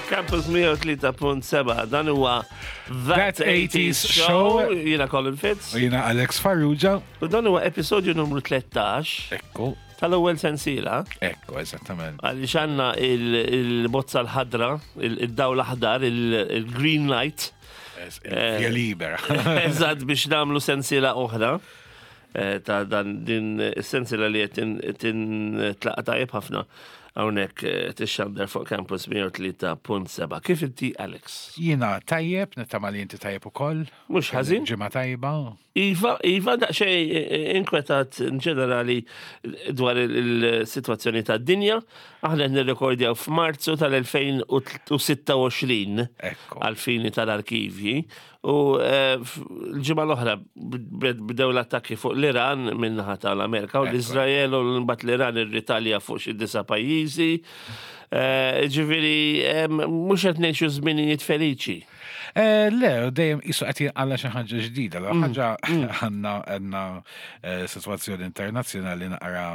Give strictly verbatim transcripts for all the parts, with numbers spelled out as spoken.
Campus mija u tlieta punt seba', dan huwa That That eighties eighties Show. Show. Jiena Colin Fitz. U jiena Alex Farrugia. U dan huwa episodju numru tlettax Ekku, tal-ewwel sensiela. Ekku, eżattament. Għaliex għandna il-bozza l-ħadra, il-dawl aħdar, il-green light. Via libera. Eżatt, biex nagħmlu sensiela oħra. eh, Ta' dan din sensiela li qed tintlaqa' tajjeb ħafna hawnhekk eh, tixxandar fuq Campus mija u tlieta punt seba'. Kif inti, Alex? Jiena tajjeb, nittama li inti tajjeb ukoll. Mhux ħażin. Ġimgħa tajba. Iva, Iva, daqsxejn inkwetat in ġenerali dwar il-situazzjoni ta' dinja. Aħna nirrekordjaw f'Marzu tal-elfejn u sitta u għoxrin Ekku. għal-fini tal-arkivji. U eh, f- l-ġimgħa l-oħra bd- bdew l-attakki fuq l-Iran min-naħa tal-Amerika u Ekku. l-Izrael, u mbagħad l-Iran irritalja fuq xi disa' pajjiżi. Eh, Ġifieri, em, mhux qed ngħixu żminijiet feliċi. Eh, Le, dejjem qisu qed jinqala xi ħaġa ġdida. La ħaġa għandna għandna eh, sitwazzjoni internazzjonali naqra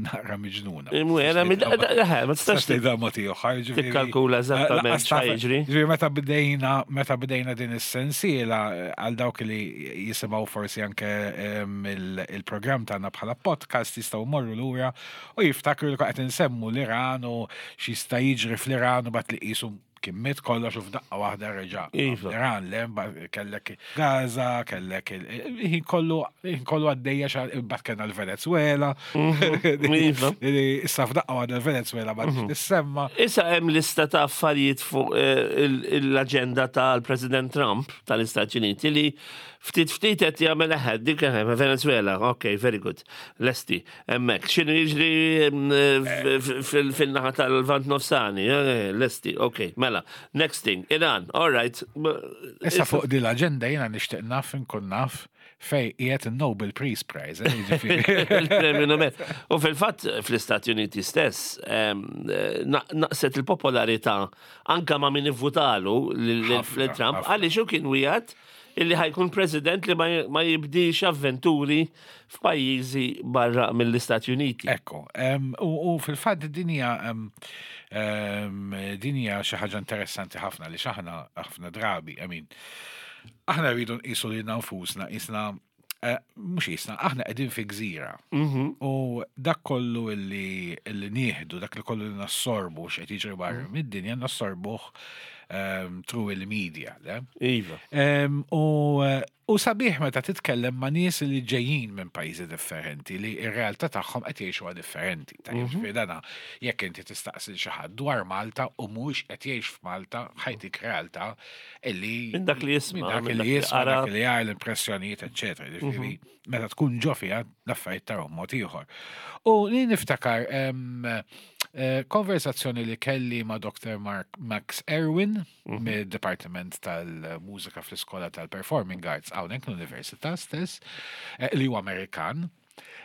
naqra miġnuna. Mwera, ma tistax Tistax tgħidha mod ieħor, ġifieri- tikkalkula eżattament Eh, lanqas taf- x'ħa jiġri. Ġifieri meta bdejna meta bdejna din is-sensiela, eh, għal dawk li jisimgħu forsi anke em, il- il-programm tagħna bħala podcast jistgħu morru lura u jiftakru li qed insemmu l-Iran u x'jista' jiġri fl-Iran, u bat li qisu kien miet kollox u f'daqqa waħda reġa'. Iva. L-Iran le, mbagħad kellek Gaza, kellek il- ħin kollu ħin kollu għaddejja xa mbagħad kellna l-Venezuela. Iva. Issa f'daqqa waħda l-Venezuela ma tissemma. Issa hemm lista ta' affarijiet fuq eh, il- l-aġenda tal-President Trump tal-Istati Uniti li ftit ftit qed jagħmel eħed dik eħe, Venezuela, ok, very good. Lesti, hemmhekk. X'inhu jiġri mm, f- f- fil- fil-naħa tal-Lvant Nofsani, eh, lesti, ok, mela. Next thing, Iran, all right. Issa fuq din l-aġenda jiena nixtieq naf inkun naf fej qiegħed il-Nobel Peace Prize. eh, jiġifieri. Il-Premju Nobel. U fil-fatt fl-Istati Uniti stess em, eh, na- naqset il-popolarità anka ma' min ivvutalu lil Ħafna, lil Trump ħafna. għaliex hu kien wieħed illi ħa jkun president li ma ma jibdix avventuri f'pajjiżi barra mill-Istati Uniti. Ekku, em, u u fil-fatt din hija em, em, din hija xi ħaġa interessanti ħafna li x'aħna ħafna drabi, I mean, aħna rridu nqisu lilna nfusna, qisna eh, mhux qisna, aħna qegħdin fi gżira. U dak kollu illi illi nieħdu, dak li kollu li nassorbu x'qed jiġri barra mid-dinja, nassorbuh um, through il-media, le? Iva. Em, U eh, u sabiħ meta titkellem ma' nies li ġejjin minn pajjiżi differenti li r-realtà tagħhom qed jgħixuha differenti. Tajjeb, ġifieri dana jekk inti tistaqsi xi ħadd dwar Malta u mhux qed jgħix f'Malta, ħa jtik realtà illi Minn dak li jisma', minn dak minn li dak li jisma', qara. dak li jara, l-impressjonijiet, eċċetera. Ġifieri meta tkun ġo fiha, l-affarijiet tarahom mod ieħor. U li niftakar em, eh, konversazzjoni li kelli ma' Doktor Mark Max Erwin mid-Departiment tal-Mużika fl-Iskola tal-Performing Arts hawnhekk l-Università stess, eh, li huwa Amerikan,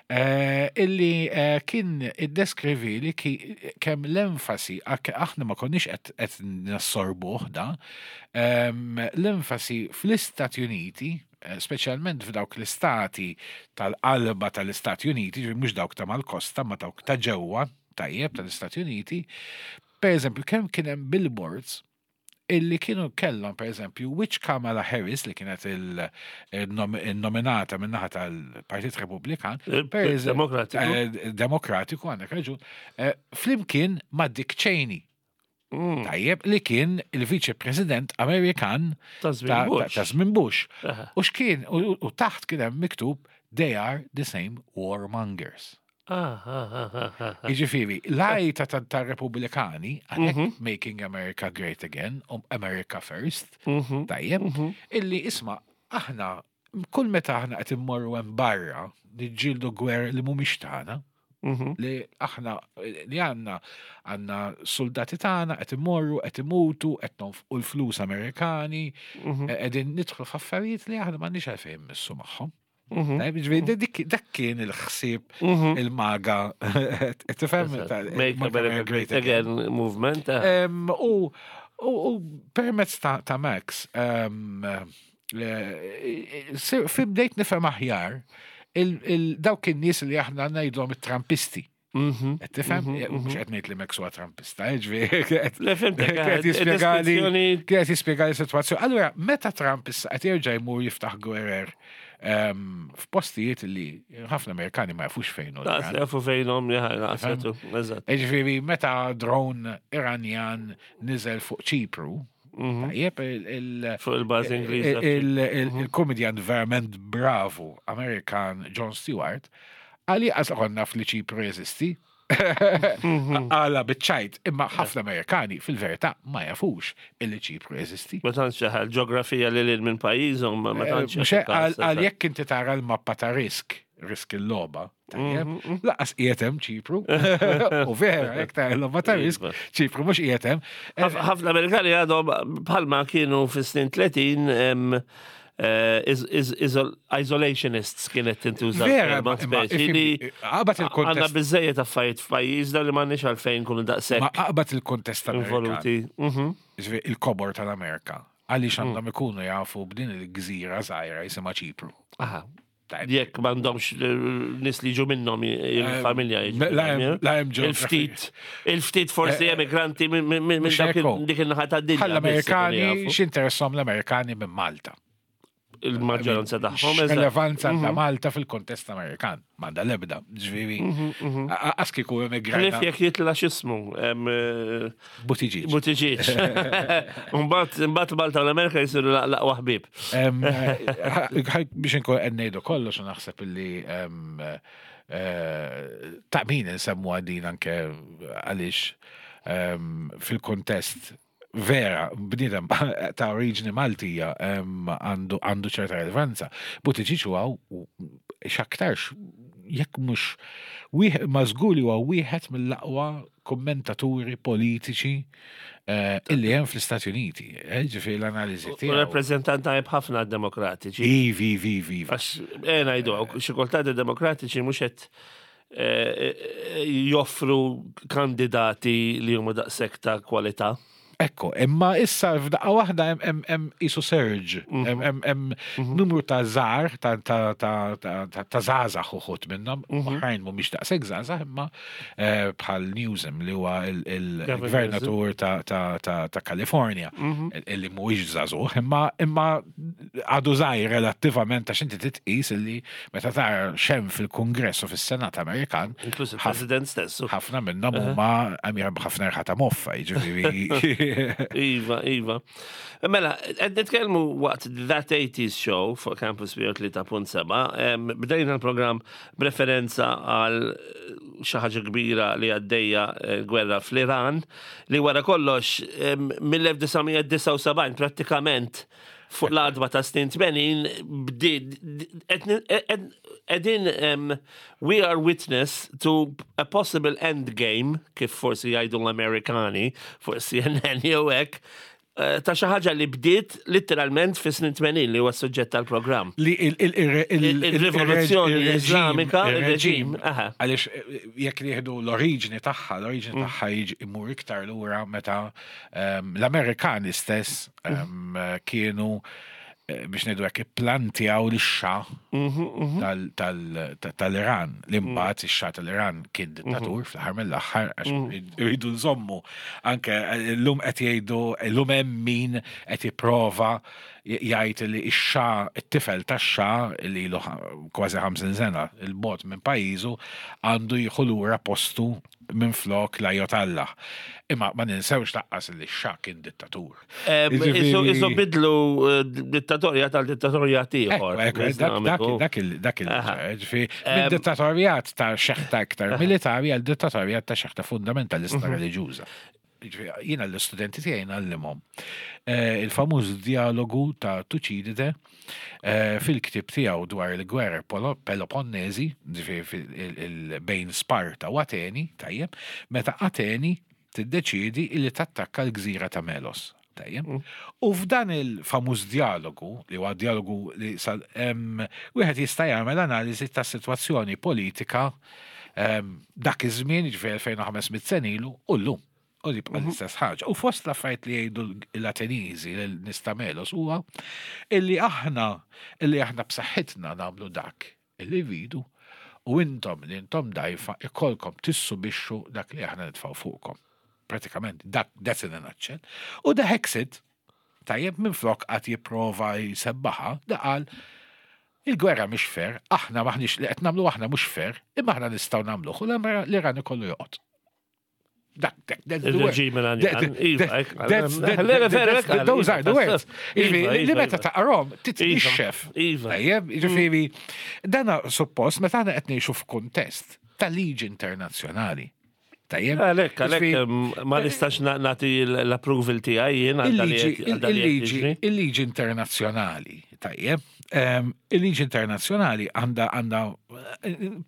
eh, illi eh, kien iddeskrivi li ki- kemm l-enfasi, ak- aħna ma konniex qed qed nassorbuh da, em, l-enfasi fl-Istati Uniti, eh, speċjalment f'dawk l-istati tal-qalba tal-Istati Uniti, ġifieri mhux dawk ta' mal-kosta, ma dawk ta' ġewwa, tajjeb, tal-Istati Uniti, per eżempju, kemm kien hemm billboards illi kienu kellhom, per eżempju, which Kamala Harris, li kienet il-nominata min-naħa tal-Partit Repubblikan, Eh, per eżempju- Demokratiku. eh, Demokratiku, għandek raġun, eh, flimkien ma' Dick Cheney. Mm. Tajjeb, li kien il-Viċe President Amerikan Ta' żmien Bush. ta' żmien Bush. Aha. U x'kien, u u taħt kien hemm miktub "They are the same warmongers." Ah, ah, ah, ah, ah. Jiġifieri, l-għajta ta' ta' Repubblikani, għalhekk "Making America Great Again", u "America First", Mhm. tajjeb, illi isma' aħna, kull meta aħna qed immorru hemm barra, niġġieldu gwer li mhumiex tagħna, Mhm. li aħna li għandna għandna soldati tagħna qed imorru, qed imutu, qed nonfqu l-flus Amerikani, Mhm. qegħdin nidħlu f'affarijiet li aħna m'għandniex għalfejn missu magħhom. Mhm. Tajjeb, ġifieri, dik- Dak kien il-ħsieb Mhm. il-MAGA, tifhem? ta' Make America Great Again movement. eh. Em, U u u permezz ta' ta' Max, em, eh, sir- fi bdejt nifhem aħjar il- il- dawk in-nies li aħna ngħidhom it-Trumpisti. Mhm. Qed tifhem? Mhux qed ngħid li Max huwa Trumpista, eh, ġifieri, qed- Le, fhimtek, eh, qed jispjegali deskrizzjoni- qed jispjegali sitwazzjoni. Allura, meta Trump issa qed jerġa' jmur jiftaħ gwerer em, f'postijiet li ħafna Amerikani ma jafux fejn hu Laqas l-Iran. jafu fejnhom, ja, laqas jafu, eżatt. Ġifieri, meta drone Iranjan niżel fuq Ċipru, tajjeb, il- il- Fuq il-bażi Ingliża. il- il- il-komedjan verament bravu Amerikan Jon Stewart, għali għaz konna naf li Ċipru jeżisti. Għala biċ-ċajt, imma ħafna Amerikani fil-verità ma jafux illi Ċipru jeżisti. Ma tantx ħal ġeografija li lil minn pajjiżhom, ma ma tantx. Mhux hekk, Għal għal jekk inti tara l-mappa ta' Risk, Risk il-logħba, tajjeb, lanqas qiegħed hemm Ċipru. U vera, jekk tara l-logħba ta' Risk, Iva. Ċipru mhux qiegħed hemm. Ħafna Amerikani għadhom bħalma kienu fis-snin tletin em, eh, is- is- isol- isolationists kienet tintuża Vera, l-kelma imma- imma speċi li ifhimni, aqbad għandna il-kontest. biżejjed affarijiet f'pajjiżna li m'għandniex għalfejn nkunu Ma daqshekk aqbad il-kontest Amerikan. involuti. Mhm. Ġifieri, il-kobor tal-Amerika. Għaliex għandhom ikunu jafu b'din il-gżira żgħira jisimha Ċipru? Aha. Tajjeb. Jekk m'għandhomx nies li jiġu minnhom il-familja. jiġu La hemm- minnhom, la hemm Il-ftit, geography. il-ftit forsi emigranti minn minn- minn Mhux dak il- hekk hu. dik il-naħa tad-dinja. Bħal biss ikunu l-Amerikani, jafu. x'interessom l-Amerikani minn Malta? Il-maġġoranza tagħhom. eżatt. Relevanza ta' Malta fil-kontest Amerikan. M'għandha l-ebda, ġifieri. Għax kieku Ħlief emigrajna jekk jitla x'ismu. em, eh, Buttigieg. Buttigieg. Mbagħad mbagħad Malta u l-Amerika jsiru laqwa ħbieb. Em, eh, Biex inkun qed ngħidu kollox u naħseb illi em, eh, ta' min insemmu għadin anke għaliex em, fil-kontest vera, bniedem ta' oriġini Maltija em, għandu għandu ċerta relevanza. Buttigieg huwa x'aktarx jekk mhux wieħed ma żgur li huwa wieħed mill-aqwa kommentaturi politiċi eh, illi hemm fl-Istati Uniti. Eh, Ġifieri l-analiżi U tiegħu. rappreżentant tajjeb ħafna demokratiċi. Ivi, ivi, ivi. Għax eh ngħidu xi kultant id-demokratiċi mhux qed eh, eh, joffru kandidati li huma daqshekk ta' kwalità. Ekko, imma issa f'daqqa waħda hemm hemm hemm isu surge, hemm hemm hemm numru ta' żgħar ta' ta' ta' ta' ta' ta' żgħażagħ uħud minnhom, oħrajn mhumiex daqshekk żgħażagħ imma eh, bħal Newsom li huwa il- il-gvernatur ta' ta' ta' ta' Kalifornja, illi mhuwiex żagħżugħ, imma imma għadu żgħir relattivament għax inti titqis illi meta tara x'hemm fil-Kungress u fis-Senat Amerikan, Inkluż il-President stess. ħafna minnhom huma għamir ħafna erħa ta' moffa, jiġifieri. Iva, Iva. Mela, qed nitkellmu waqt That eighties Show fuq Campus tlieta punt seba', em, bdejna l-programm b'referenza għal xi ħaġa kbira li għaddejja, eh, gwerra fl-Iran, li wara kollox em, mill-elf disa' mija disgħa u sebgħin prattikament fuq l-għadba ta' snin tmenin bdiet qegħdin em, we are witness to a possible end game, kif forsi jgħidu l-Amerikani fuq C N N jew hekk, eh, ta' xi ħaġa li bdiet literalment fi snin tmenin li huwa s-suġġett tal-programm. Li il- il- il- il- Il-rivoluzzjoni il-reġim- Islamika, il-reġim, il-reġim, aha. għaliex eh, jekk nieħdu l-oriġini tagħha, l-oriġini tagħha jiġi imur iktar lura meta ehm, l-Amerikani stess ehm, kienu eh, biex ngħidu hekk ipplantaw lix-Xah tal- tal- ta- tal-Iran. Li mbagħad ix-Xah tal-Iran kien dittatur fl-aħħar mill-aħħar għax iridu nżommu anke eh, llum qed jgħidu llum hemm min qed jipprova Jgħid li x-Xah, it-tifel tax-Xah li ilu kważi ħamsin sena 'il bogħod minn pajjiżu għandu jieħu lura postu minn flok l-Ajatollah. Imma ma ninsewx lanqas li x-Xah kien dittatur. Isu bidlu eh, dittatorjat għal dittatorjat ieħor. Dak il minn dittatorjat ta' xeħta iktar militari għal dittatorjat ta' xeħta fundamentalista mhm. reliġjuża. Jiena l-studenti tiegħi ngħallimhom eh, il-famuż dialogu ta' Tuċidide eh, fil-ktib tiegħu dwar il-gwerra Peloponnesi, bejn Sparta u Ateni, tajjeb, meta Ateni tiddeċidi li tattakka l-gżira ta' Melos. Tajjeb. Mm. U f'dan il-famuż dialogu, li huwa dialogu li sal wieħed jista' jagħmel analiżi ta' sitwazzjoni politika dak iż-żmien, ġifieri elfejn u ħames mitt sena ilu, u llum. U li bqa l-istess ħaġa. U fost l-affarijiet li jgħidu l-Ateniżi lin-nies ta' Melos huwa illi aħna illi aħna b'saħħitna nagħmlu dak illi rridu u intom li intom dgħajfa ikollkom tissubixxu dak li aħna nitfgħu fuqkom. Pratikament, dak that's in a nutshell. U da Hegseth, tajjeb, minn flok qed jipprova jsebbaħha, da qal il-gwerra mhix fair, aħna maħniex li qed nagħmlu aħna mhux fair, imma aħna nistgħu nagħmluh u l-Iran ikollu joqgħod. Dak, dak, that's the word. Those are the words. Li meta taqrom, titnixxef. Tajjeb, ġifieri, dana suppost, meta aħna qed ngħixu f'kuntest ta' liġi internazzjonali. Tajjeb. Għalek, għalek, ma nistax nagħti l-approval tiegħi jien. Il-liġi internazzjonali, tajjeb, il-liġi internazzjonali għandha għandha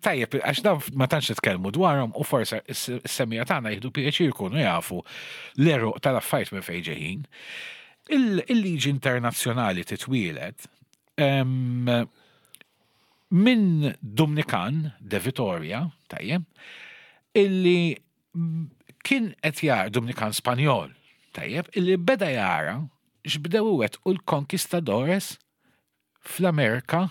tajjeb, għax dan ma tantx nitkellmu dwarhom u forse s-semmiegħa tagħna jieħdu pjaċir jkunu jafu l-għeruq tal-affarijiet minn fejn ġejjin. Il-liġi internazzjonali titwielet minn Dumnikan de Vitoria, tajjeb, illi kien qed jara, Dumnikan Spanjol, tajjeb, illi beda jara x'bdew iwettqu l-konkistadores fl-Amerika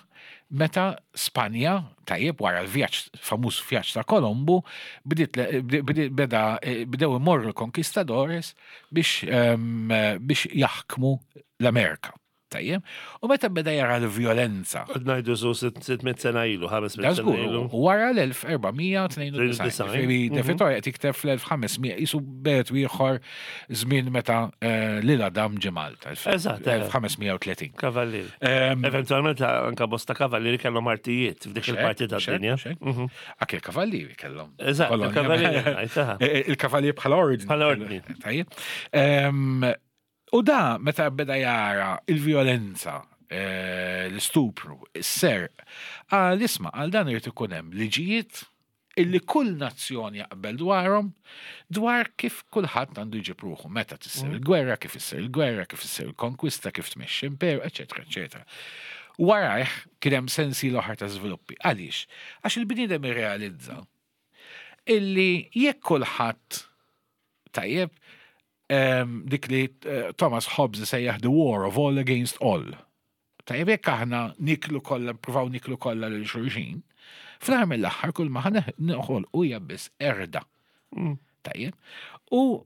meta Spanja, tajjeb, wara l-vjaġġ, famuż vjaġġ ta' Kolombu, bdiet beda bdew imorru l-konkistadores biex biex jaħkmu l-Amerika. Tajjeb, u meta beda jara l-violenza. Ngħidu su sitt mitt sena ilu, ħames mitt sena ilu. Wara l-elf erba' mija u tnejn u disgħin. De Vitoria qed jikteb fl-elf ħames mija, jisu bet ieħor żmien meta eh, lil Adam ġie Malta. Eżatt. elf ħames mija u tletin. Kavallieri. Eventualment anka bosta kavallieri kellhom artijiet f'dik il-parti tad-dinja. Mhm. Anke il-kavallieri kellhom. Eżatt, il-kavallieri. Eh, il-kavallieri bħala ordni. Bħala ordni. Tajjeb. U da, meta beda jara il-violenza, eh, l-istupru, is-serq, għal isma' għal dan irid ikun hemm liġijiet illi kull nazzjon jaqbel dwarhom dwar kif kulħadd għandu jġib ruħu meta tissir mm. il-gwerra, kif issir il-gwerra, kif issir il-konkwista, kif tmexxi imperu, eċetera, eċetera. Warajh kien hemm sensi l-oħra ta' żviluppi. Għaliex? Għax il-bniedem irrealizza illi jekk kulħadd, tajjeb, dik li eh, Thomas Hobbes sejjaħ "the war of all against all". Tajjeb, jekk aħna niklu kollha, provaw niklu kollha lil xulxin, fl-aħħar mill-aħħar kull ma noħolqu hija biss qerda. Mm. Tajjeb. U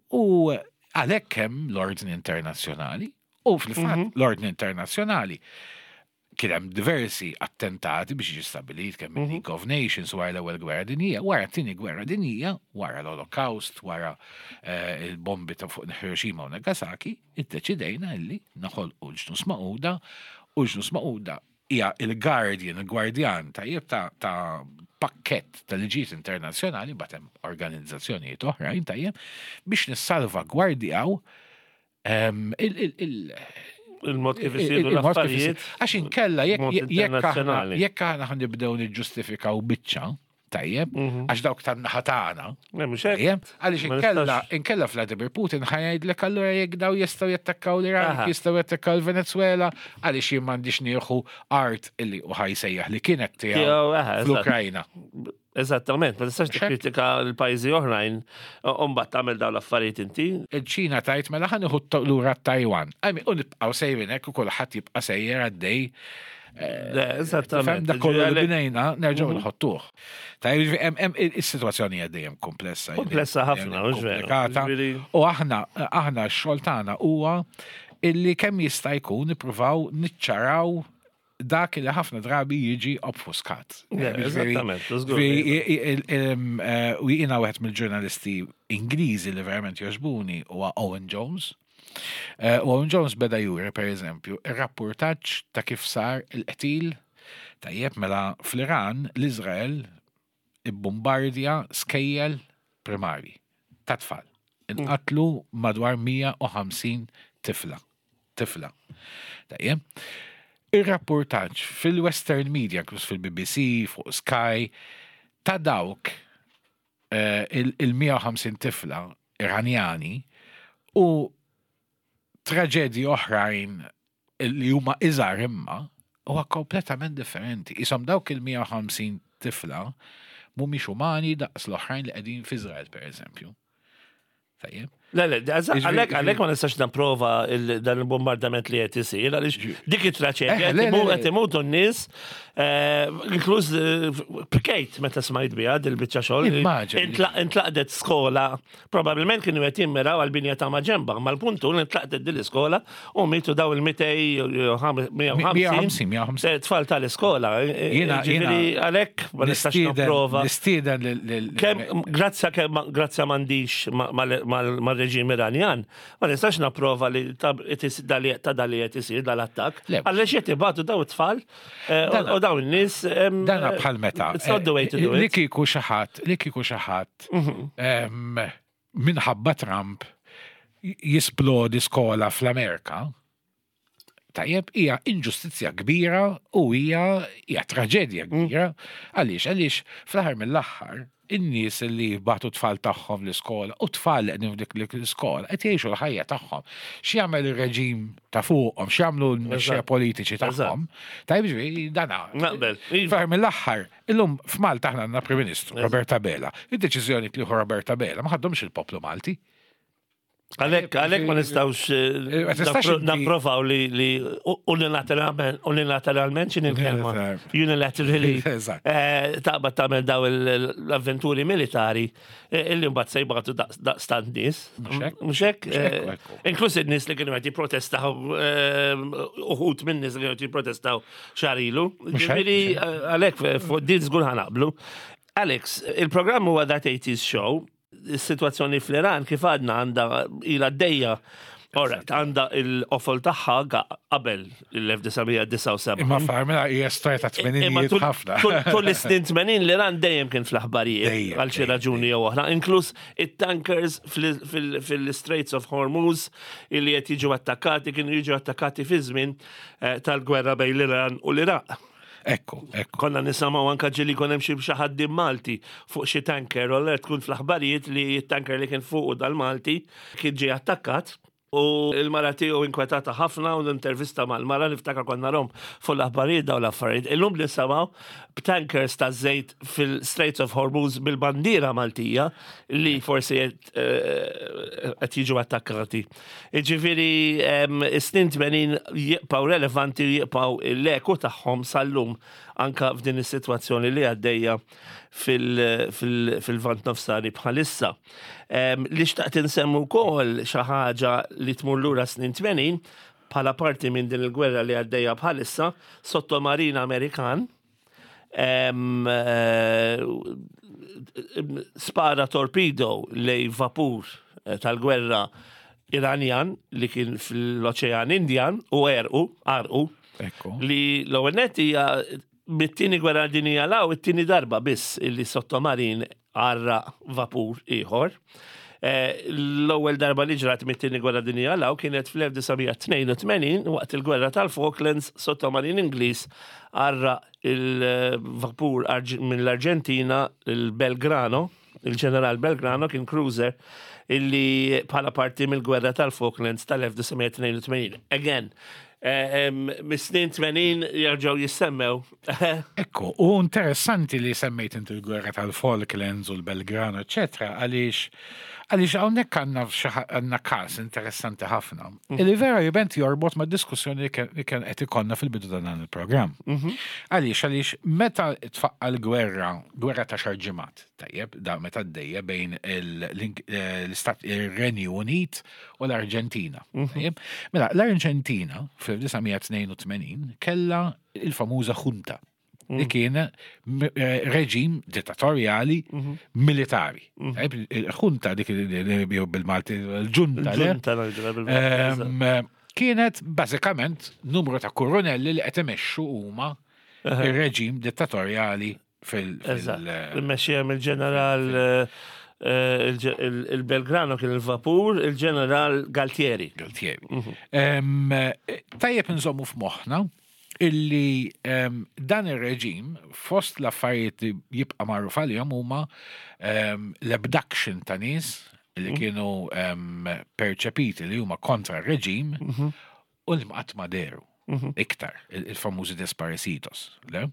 għalhekk hemm l-ordni internazzjonali u fil-fatt mhm. l-ordni internazzjonali kien hemm diversi attentati biex jiġi stabilit kemm il League of Nations wara l-Ewwel Gwerra Dinjija, wara t-Tieni Gwerra Dinjija, wara l-Holocaust, wara eh, il-bombi ta' fuq Hiroshima u Nagasaki, iddeċidejna illi noħolqu l-Ġnus Magħquda, u l-Ġnus Magħquda hija il-guardian, il-gwardjan, tajjeb, ta' ta' pakket ta' liġijiet internazzjonali, batem organizzazzjonijiet oħrajn, tajjeb, biex nissalvagwardjaw em, il- il- il- Il-mod kif isiru il-mod kif l-affarijiet. isir. Għax inkella jekk Mod jekk aħna internazzjonali. jekk aħna ħa nibdew niġġustifikaw biċċa, tajjeb, Mhm. għax dawk tan-naħa tagħna, Le, mhux hekk. tajjeb, għaliex Ma inkella nistax. inkella Vladimir Putin ħa jgħidlek allura jekk daw jistgħu jattakkaw l-Iran, Aha. jistgħu jattakkaw l-Venezuela, għaliex jien m'għandix nieħu art illi u ħa jsejjaħ li kienet tiegħu Tiegħu, aha, eżatt. fl-Ukrajna. Eżattament, ma tistax Xek. tikkritika l-pajjiżi oħrajn u mbagħad tagħmel dawn l-affarijiet inti. Il-Ċina tgħid mela ħa nieħu lura Taiwan. I mean, u nibqgħu sejrin hekk u kulħadd jibqa' sejjer għaddej. Le, eżattament. Fem dak kollu li Ġifieri binejna nerġgħu nħottuh. Tajjeb, ġifieri, hemm- hemm is-sitwazzjoni hija dejjem komplessa. Komplessa ħafna, mhux veru. Komplikata. Ġifieri- U aħna aħna x-xogħol tagħna huwa Illi kemm jista' jkun nippruvaw niċċaraw dak li ħafna drabi jiġi obfuskat. Eżattament. Eh, u jiena wieħed mill-ġurnalisti Ingliżi li verament jogħġbuni huwa Owen Jones. Eh, u Owen Jones beda juri, per eżempju, ir-rapportaġġ ta' kif sar il-qtil. Tajjeb, mela fl-Iran l-Izrael ibbombardja skejjel primari ta' tfal. Inqatlu madwar mija u ħamsin tifla. Tifla. Tajjeb. Ir-rapportaġġ fil-Western Media, inkluż fil-B B C, fuq Sky, ta' dawk eh, il-mija u ħamsin tifla Iranjani u traġedji oħrajn li huma iżgħar imma huwa kompletament differenti. Isom dawk il-mija u ħamsin tifla mhumiex umani daqs l-oħrajn li qegħdin f'Iżrael, per eżempju. Tajjeb. Le, le, għalek, għalek ma nistax napprova dan il-bombardament li qed isir, għaliex dik it-traċedja eh, qed imutu n-nies, eh, inkluż eh, bkejt meta smajt biha dil-biċċa xogħol. Intlaqdet skola, probabbilment kienu qed jimmiraw għal-binja ta' maġenba, ma l-puntu intlaqdet din l-iskola u mitu daw il-mitejn tfal tal-iskola. Jiena għalek ma nistax napprova. Nistieden. Grazza grazza m'għandix mal-reġim Iranjan, ma nistax napprova li ta' dali qed isir dal-attakk. Għaliex qed ibatu daw it-tfal eh, u daw in-nies. Dana bħal meta. It's not the way to do it. Li kieku xi ħadd, li kieku xi ħadd mhm. minħabba Trump jisplodi skola fl-Amerika, tajjeb, hija inġustizzja kbira u hija hija traġedja kbira. Għaliex, għaliex fl-aħħar mill-aħħar in-nies li bagħtu tfal tagħhom l-iskola u tfal li qegħdin f'dik l-iskola qed jgħixu l-ħajja tagħhom. X'jagħmel ir-reġim ta' fuqhom, x'jagħmlu l-mexxejja politiċi tagħhom. Tajjeb, ġifieri dana. Naqbel. Fl-aħħar mill-aħħar, illum f'Malta aħna għandna Prim Ministru, Robert Abela. Id-deċiżjoni li Robert Abela ma ħadhomx il-poplu Malti. Għalek, għalek ma nistawx eh, Ma tistax nappro- inti- napprovaw li li unilateralment, unilateralment xin il-kelma, unilaterally, Eżatt. eh, taqbad tagħmel daw il- l-avventuri militari eh, illi mbagħad se jbagħtu daqstant nies. Mhux hekk? Mhux hekk? Mhux hekk, eh, ekku. Inkluż in-nies li kienu qed jipprotestaw, eh, uħud minn nies li kienu qed jipprotestaw xahar ilu. Mhux hekk, Ġifieri, eh, għalhekk fuq din żgur ħa naqblu. Alex, il-programm huwa That eighties Show, is-sitwazzjoni fl-Iran kif għadna għandha ila d-dejja. Alright, għandha il-qofol tagħha ga- qabel il-elf disa' mija disgħa u sebgħin. Imma farmela hija storja ta' Imma tmeninijiet tul- ħafna. tul- Tul is-snin tmenin l-Iran dejjem kien fl-aħbarijiet Dejjem, għal xi dejjem, raġuni jew oħra, inkluż it-tankers fil- fil- fil-Straits of Hormuz illi qed jiġu attakkati, kienu jiġu attakkati fi żmien eh, tal-gwerra bejn l-Iran u l-Iraq. Ekku, ekku. Konna nisimgħu anka ġieli kon hemm xi xi ħaddiem Malti fuq xi tanker, u allura tkun fl-aħbarijiet li t-tanker li kien fuq dal-Malti kien ġie attakkat. U il-mara tiegħu inkwetata ħafna u l-intervista mal-mara niftakar konna rom fuq l-aħbarijiet daw l-affarijiet. Illum nisimgħu b'tankers ta' żejt fil-Straits of Hormuz bil-bandiera Maltija li forsi qed eh, qed jiġu attakkati. Ġifieri em, is-snin tmenin jibqgħu relevanti u jibqgħu l-eku tagħhom sal-lum anka f'din is-sitwazzjoni li għaddejja fil- fil- fil-Lvant Nofsani bħalissa. Em, Li xtaqt insemmu wkoll xi ħaġa li tmur lura snin tmenin bħala parti minn din il-gwerra li għaddejja bħalissa, sottomarin Amerikan em, eh, spara torpedo lej vapur eh, tal-gwerra Iranjan li kien fl-Oċean Indjan u għerqu, għarqu, Ekku. li l-ewwel nett hija mit-tieni gwerra dinjija 'l hawn it-tieni darba biss illi sottomarin għarraq vapur ieħor. Eh, L-ewwel darba li ġrat mit-tieni gwerra dinjija 'l hawn kienet fl-elf disa' mija tnejn u tmenin waqt il-gwerra tal-Falklands, sottomarin Ingliż għarraq il-vapur Arġ- mill-Arġentina, il-Belgrano, il-ġeneral Belgrano, kien cruiser illi bħala parti mill-gwerra tal-Falklands tal-elf disa' mija tnejn u tmenin. Again, eh, em, mis-snin tmenin jarġaw jissemmew. Ekku, u interessanti li semmejt inti l-gwerra tal-Falklands u l-Belgrano, eccetera, għaliex Għaliex hawnhekk għandna xi ħa- għandna każ interessanti ħafna. Illi vera jibent jorbot ma' diskussjoni li kien li kien qed ikollna fil-bidu ta' dan il-programm. Għaliex għaliex meta tfaqqa l-gwerra, gwerra ta' għaxar ġimgħat, tajjeb, da meta d-dejja bejn il- l- l-Istat il-Renju Unit u l-Arġentina. Tajjeb? Mela, l-Arġentina fl-elf disa' mija tnejn u tmenin kella il-famuża junta li kien m- eh, reġim dittatorjali militari. Tajjeb, il-junta dik il- bil-Malti, il-ġunta, le? Ġunta ngħidu bil-Malti. Em, Kienet bażikament numru ta' koronelli li qed imexxu huma ir-reġim dittatorjali fil- Eżatt. fil- Immexxija mill-ġeneral eh, eh, il- il- il-Belgrano kien il-vapur, il-ġeneral Galtieri. Galtieri. Em, Tajjeb nżommu f'moħħna illi em, dan ir-reġim fost l-affarijiet li jibqa' magħruf għalihom huma em, l-abduction ta' nies li kienu em, perċepiti li huma kontra r-reġim u li qatt ma dehru iktar, il- il-famużi desaparecidos. Le?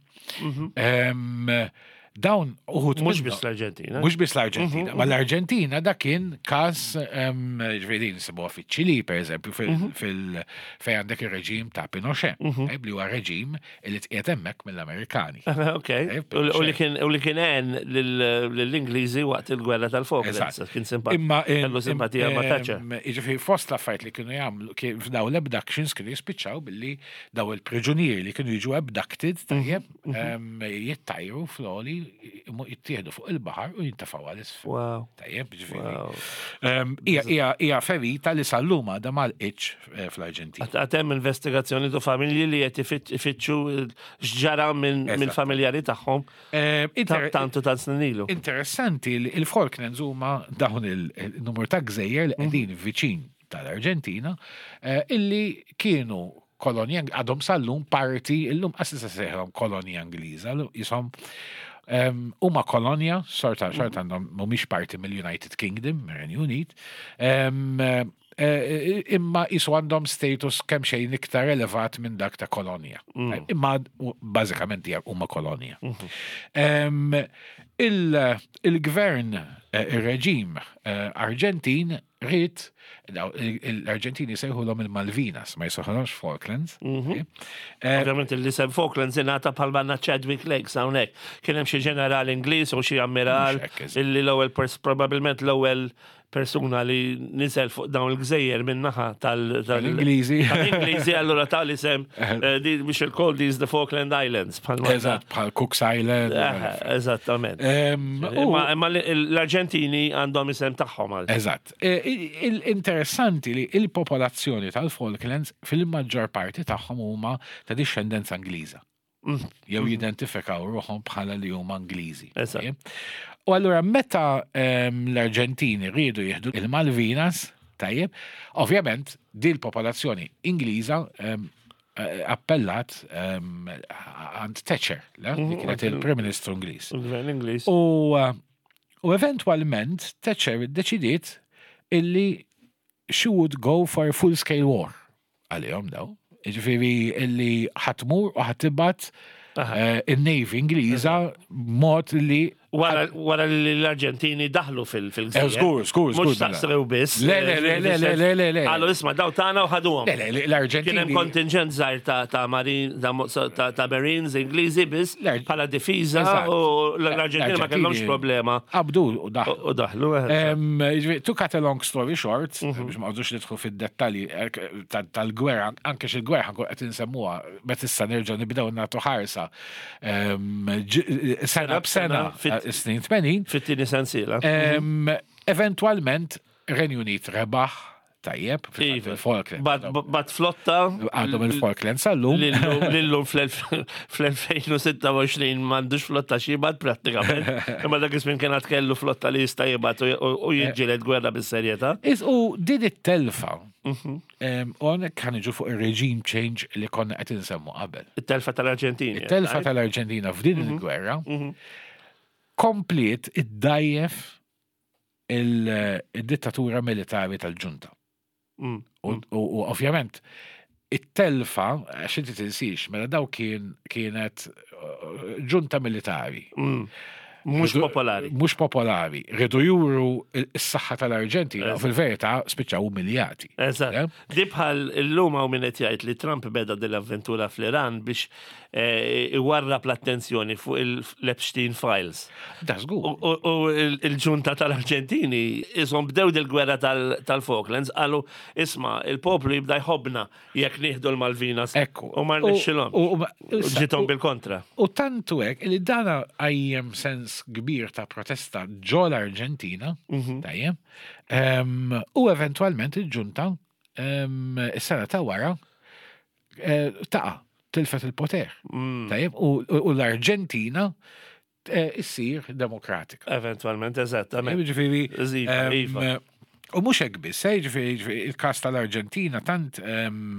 Em, Dawn uħud Mhux minnhom- biss l-Arġentina. Mhux biss l-Arġentina, ma l-Arġentina da kien każ ġifieri nsibuha fiċ-Ċili, per eżempju, fil fejn għandek ir-reġim ta' Pinochet, eh, li huwa reġim li tqiegħed hemmhekk mill-Amerikani. Ok. U li kien u li kien għen lill-Ingliżi waqt il-gwerra tal-Falklands. Eżatt. Kien simpat- Imma kellu simpatija ma' Thatcher. Jiġifieri fost l-affarijiet li kienu jagħmlu kien f'daw l-abductions kienu jispiċċaw billi daw il-priġunieri li kienu jiġu abducted tajjeb em, jittajru fl-għoli jittieħdu fuq il-baħar u jintefgħu għal isfel. Wow. Tajjeb, ġifieri. Wow. Em, Hija hija hija ferita li sal-lum għadha m'għalqitx eh, fl-Arġentina. Għad hemm investigazzjoni tu familji li qed ifitt- ifittxu x'ġara minn Eżatt. minn familjari tagħhom Em, inter- tantu tant snin ilu. Interessanti li il-Falklands huma dawn il-numru ta' gżejjer li qegħdin viċin tal-Arġentina eh, illi kienu kolonja, għadhom sal-lum parti, illum qas se sejħilhom kolonja Ingliża, jisom em, huma kolonja, sorta xorta għandhom mhumiex parti mill-United Kingdom, mir-Renju Unit, em, eh, imma jisu għandhom status kemm xejn iktar elevat minn dak ta' kolonja. Imma u- bażikament hija huma kolonja. Em, il- Il-gvern, eh, il-reġim eh, Arġentin ried, daw, il- l-Arġentini sejħulhom il-Malvinas, ma jsejħulhomx Falklands. Okay? Eh, Ovvjament l-isem Falklands ingħata bħal banna Chadwick Lakes hawnhekk. Kien hemm xi ġeneral Ingliż u xi ammiral Mhux hekk, eżatt. illi l-ewwel pers probabbilment l-ewwel persuna li niżel fuq dawn il-gżejjer min-naħa tal- tal- Tal-Ingliżi. Tal-Ingliżi allura tal-isem eh, di we shall call these the Falkland Islands. bħalma- Eżatt, bħal Cooks Island. Eh, Eżattament. Em, u- Imma imma l-Arġentini għandhom isem tagħhom għal. Eżatt. E, Il-interessanti li il-popolazzjoni tal-Falklands fil-maġġor parti tagħhom huma ta' discendenza Ingliża. Jew jidentifikaw ruħhom bħala li huma Ingliżi. Eżatt. Tajjeb? U allura meta em, l-Arġentini riedu jieħdu il-Malvinas, tajjeb, ovvjament din il-popolazzjoni Ingliża em, eh, appellat em, għand Thatcher, le? Li kienet il-Prim Ministru Ingliż. Il-gvern Ingliż. U, uh, u eventualment Thatcher deċidiet illi she would go for a full-scale war għalihom daw. Ġifieri illi ħa tmur u ħa tibgħat eh, il-Navy Ingliża mod li Wara wara li l-Arġentini daħlu fil- fil-gżejjer. Eh, żgur, żgur, żgur, Mhux staqsew biss. Le, le, le, le, le, le, le, le. Qalu isma' daw tagħna u ħaduhom. Le, le, le, Kien hemm l-Arġentini. kontingent żgħir ta' ta' Marin ta' mo- ta' ta' Marines Ingliżi biss L-Ar- bħala difiża Eżatt. u l-Arġentini ma kellhomx problema Qabdu u daħlu. u daħlu. eh. Um, to cut a long story short, biex ma għadux nidħlu fid-dettalji eh, ta- tal-gwerra, anke xil-gwerra nkun qed insemmuha, meta issa nerġgħu nibdew nagħtu ħarsa em, ġ- sena b'sena Fit- eh, snin tmenin. Fit-tieni sensiela. Em, Eventualment, Renju Unit rebaħ tajjeb, fil-fatt Iva. il-Falkland. Bagħat bagħat flotta Għadhom il-Falkland sal-lum. Lillum fl-elfejn u sitta u għoxrin m'għandux flotta x'jibgħat prattikament. Imma dak iż-żmien kien għad kellu flotta li jista' jibgħat u u jiġġieled gwerra bis-serjetà. Is u din it-telfa, em, u hawnhekk ħa niġu fuq il-regime change li konna qed insemmu qabel. It-telfa tal-Arġentini. It-telfa tal-Arġentina f'din il-gwerra kompliet iddajjef il-dittatura militari tal-ġunta. Mm. U u- u ovvjament, it-telfa, għax inti tinsiex, mela daw kien kienet uh, ġunta militari. Mm. Mhux Ridu- popolari. Mhux popolari. Ridu juru s-saħħa tal-Arġentina u fil-verità spiċċaw umiljati. Eżatt. Yeah? Di bħal illum hawn min qed jgħid li Trump beda dell-avventura fl-Iran biex eh, iwarrab l-attenzjoni fuq il-Epstein Files. Da żgur. U u- u il- il-ġunta tal-Arġentini isom bdew dil-gwerra tal- tal-Falklands qalu isma' il-poplu jibda jħobna jekk nieħdu l-Malvinas. Ekku. U ma rnexxilhom. U- u- u- Ġitom bil-kontra. U tantu hekk li dana qajjem sens kbir ta' protesta ġo l-Arġentina, tajjeb, em, u eventualment il-ġunta em, is-sena ta' wara eh, taqa' tilfet il-poter. Tajjeb, u u l-Arġentina eh, issir demokratika. Eventualment, eżattament. Ġifieri, Iva, em, iva. U mhux hekk biss, eh, ġifieri, ġifieri, il-każ tal-Arġentina tant em,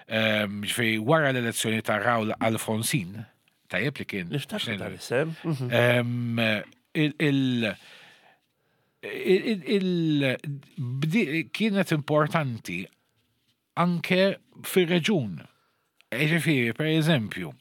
em, ġifieri wara l-elezzjoni ta' Raul Alfonsin, tajjeb li kien. Niftakru tal-isem. Mhm. Em, il- il- il- il- bdi- kienet importanti anke fir-reġun. Ġifieri, per eżempju,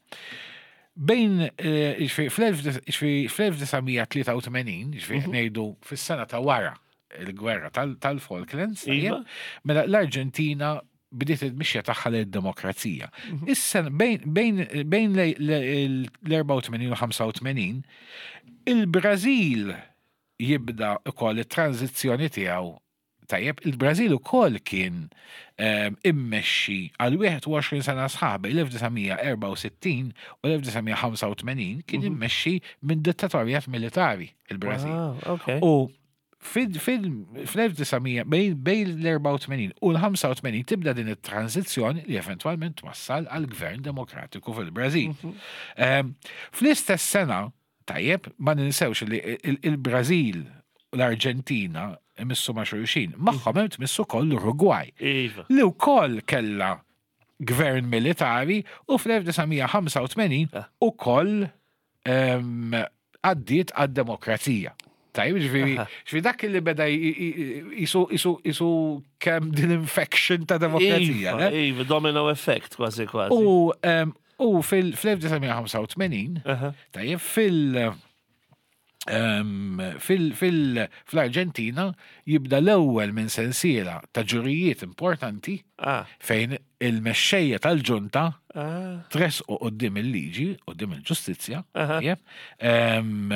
bejn eh, ġifieri, fl-elf- fl-elf disa' mija tlieta u tmenin, ġifieri ngħidu fis-sena ta' wara il-gwerra tal- tal-Falklands, Iva. tajjeb, mela l-Arġentina bdiet il-mixja tagħha lid-demokrazija. Issa bejn bejn bejn l-erbgħa u tmenin u ħamsa u tmenin il-Brażil jibda ukoll it-tranzizzjoni tiegħu. Tajjeb, il-Brażil ukoll kien ehm, immexxi għal wieħed u għoxrin sena sħaħ bejn l-elf disa' mija erbgħa u sittin u l-elf disa' mija ħamsa u tmenin kien immexxi minn dittatorjat militari il-Brażil. Ah, ok. U fil- fil- fl-elf disa' mija bejn bejn l-erbgħa u tmenin u l-ħamsa u tmenin tibda din it-tranzizzjoni li eventwalment twassal għal gvern demokratiku fil-Brażil. Ehm, Fl-istess sena, tajjeb, ma ninsewx li il- il-Brażil u l-Arġentina imissu ma' xulxin, magħhom hemm tmissu koll l-Uruguay Iva. li wkoll kella gvern militari u fl-elf disa' mija ħamsa u tmenin Ah. ukoll em, għaddiet għad-demokrazija. Tajjeb, ġifieri, ġifieri dak li beda jisu jisu jisu kemm din infection ta' demokrazija. Iva, ne? iva, domino effect kważi kważi. U em, u fil-elf disa' mija ħamsa u tmenin, Aha. tajjeb, fil- em, fil- fil- fl-Arġentina jibda l-ewwel minn sensiela ta' ġurijiet importanti Ah, fejn il-mexxejja tal-ġunta ah, tresqu quddiem il-liġi, quddiem il-ġustizzja, Aha. tajjeb, em,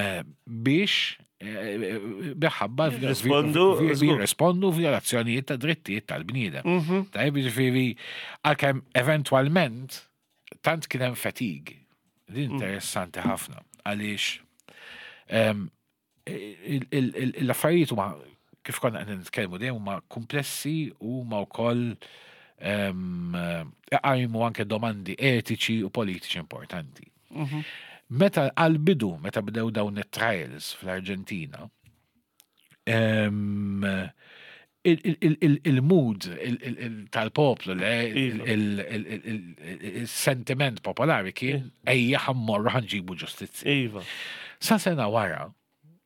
biex eh, biħabba Jirrispondu, żgur. jirrispondu violazzjonijiet ta' drittijiet tal-bniedem. Mhm. Tajjeb, ġifieri, għalkemm eventwalment tant kien hemm fatigue. Din Mm. interessanti ħafna għaliex em, il- il- il- l-affarijiet huma kif konna qed nitkellmu dejjem huma komplessi u huma wkoll em, iqajmu anke domandi etiċi u politiċi importanti. Mhm. Meta għal-bidu, meta bdew dawn it-trials fl-Arġentina, em, il- il- il- il- il-mood il- il- il- tal-poplu, le, Iva. il- il- il- il- il-sentiment popolari kien ejja ħa mmorru ħa nġibu ġustizzja. Iva. Sa sena wara,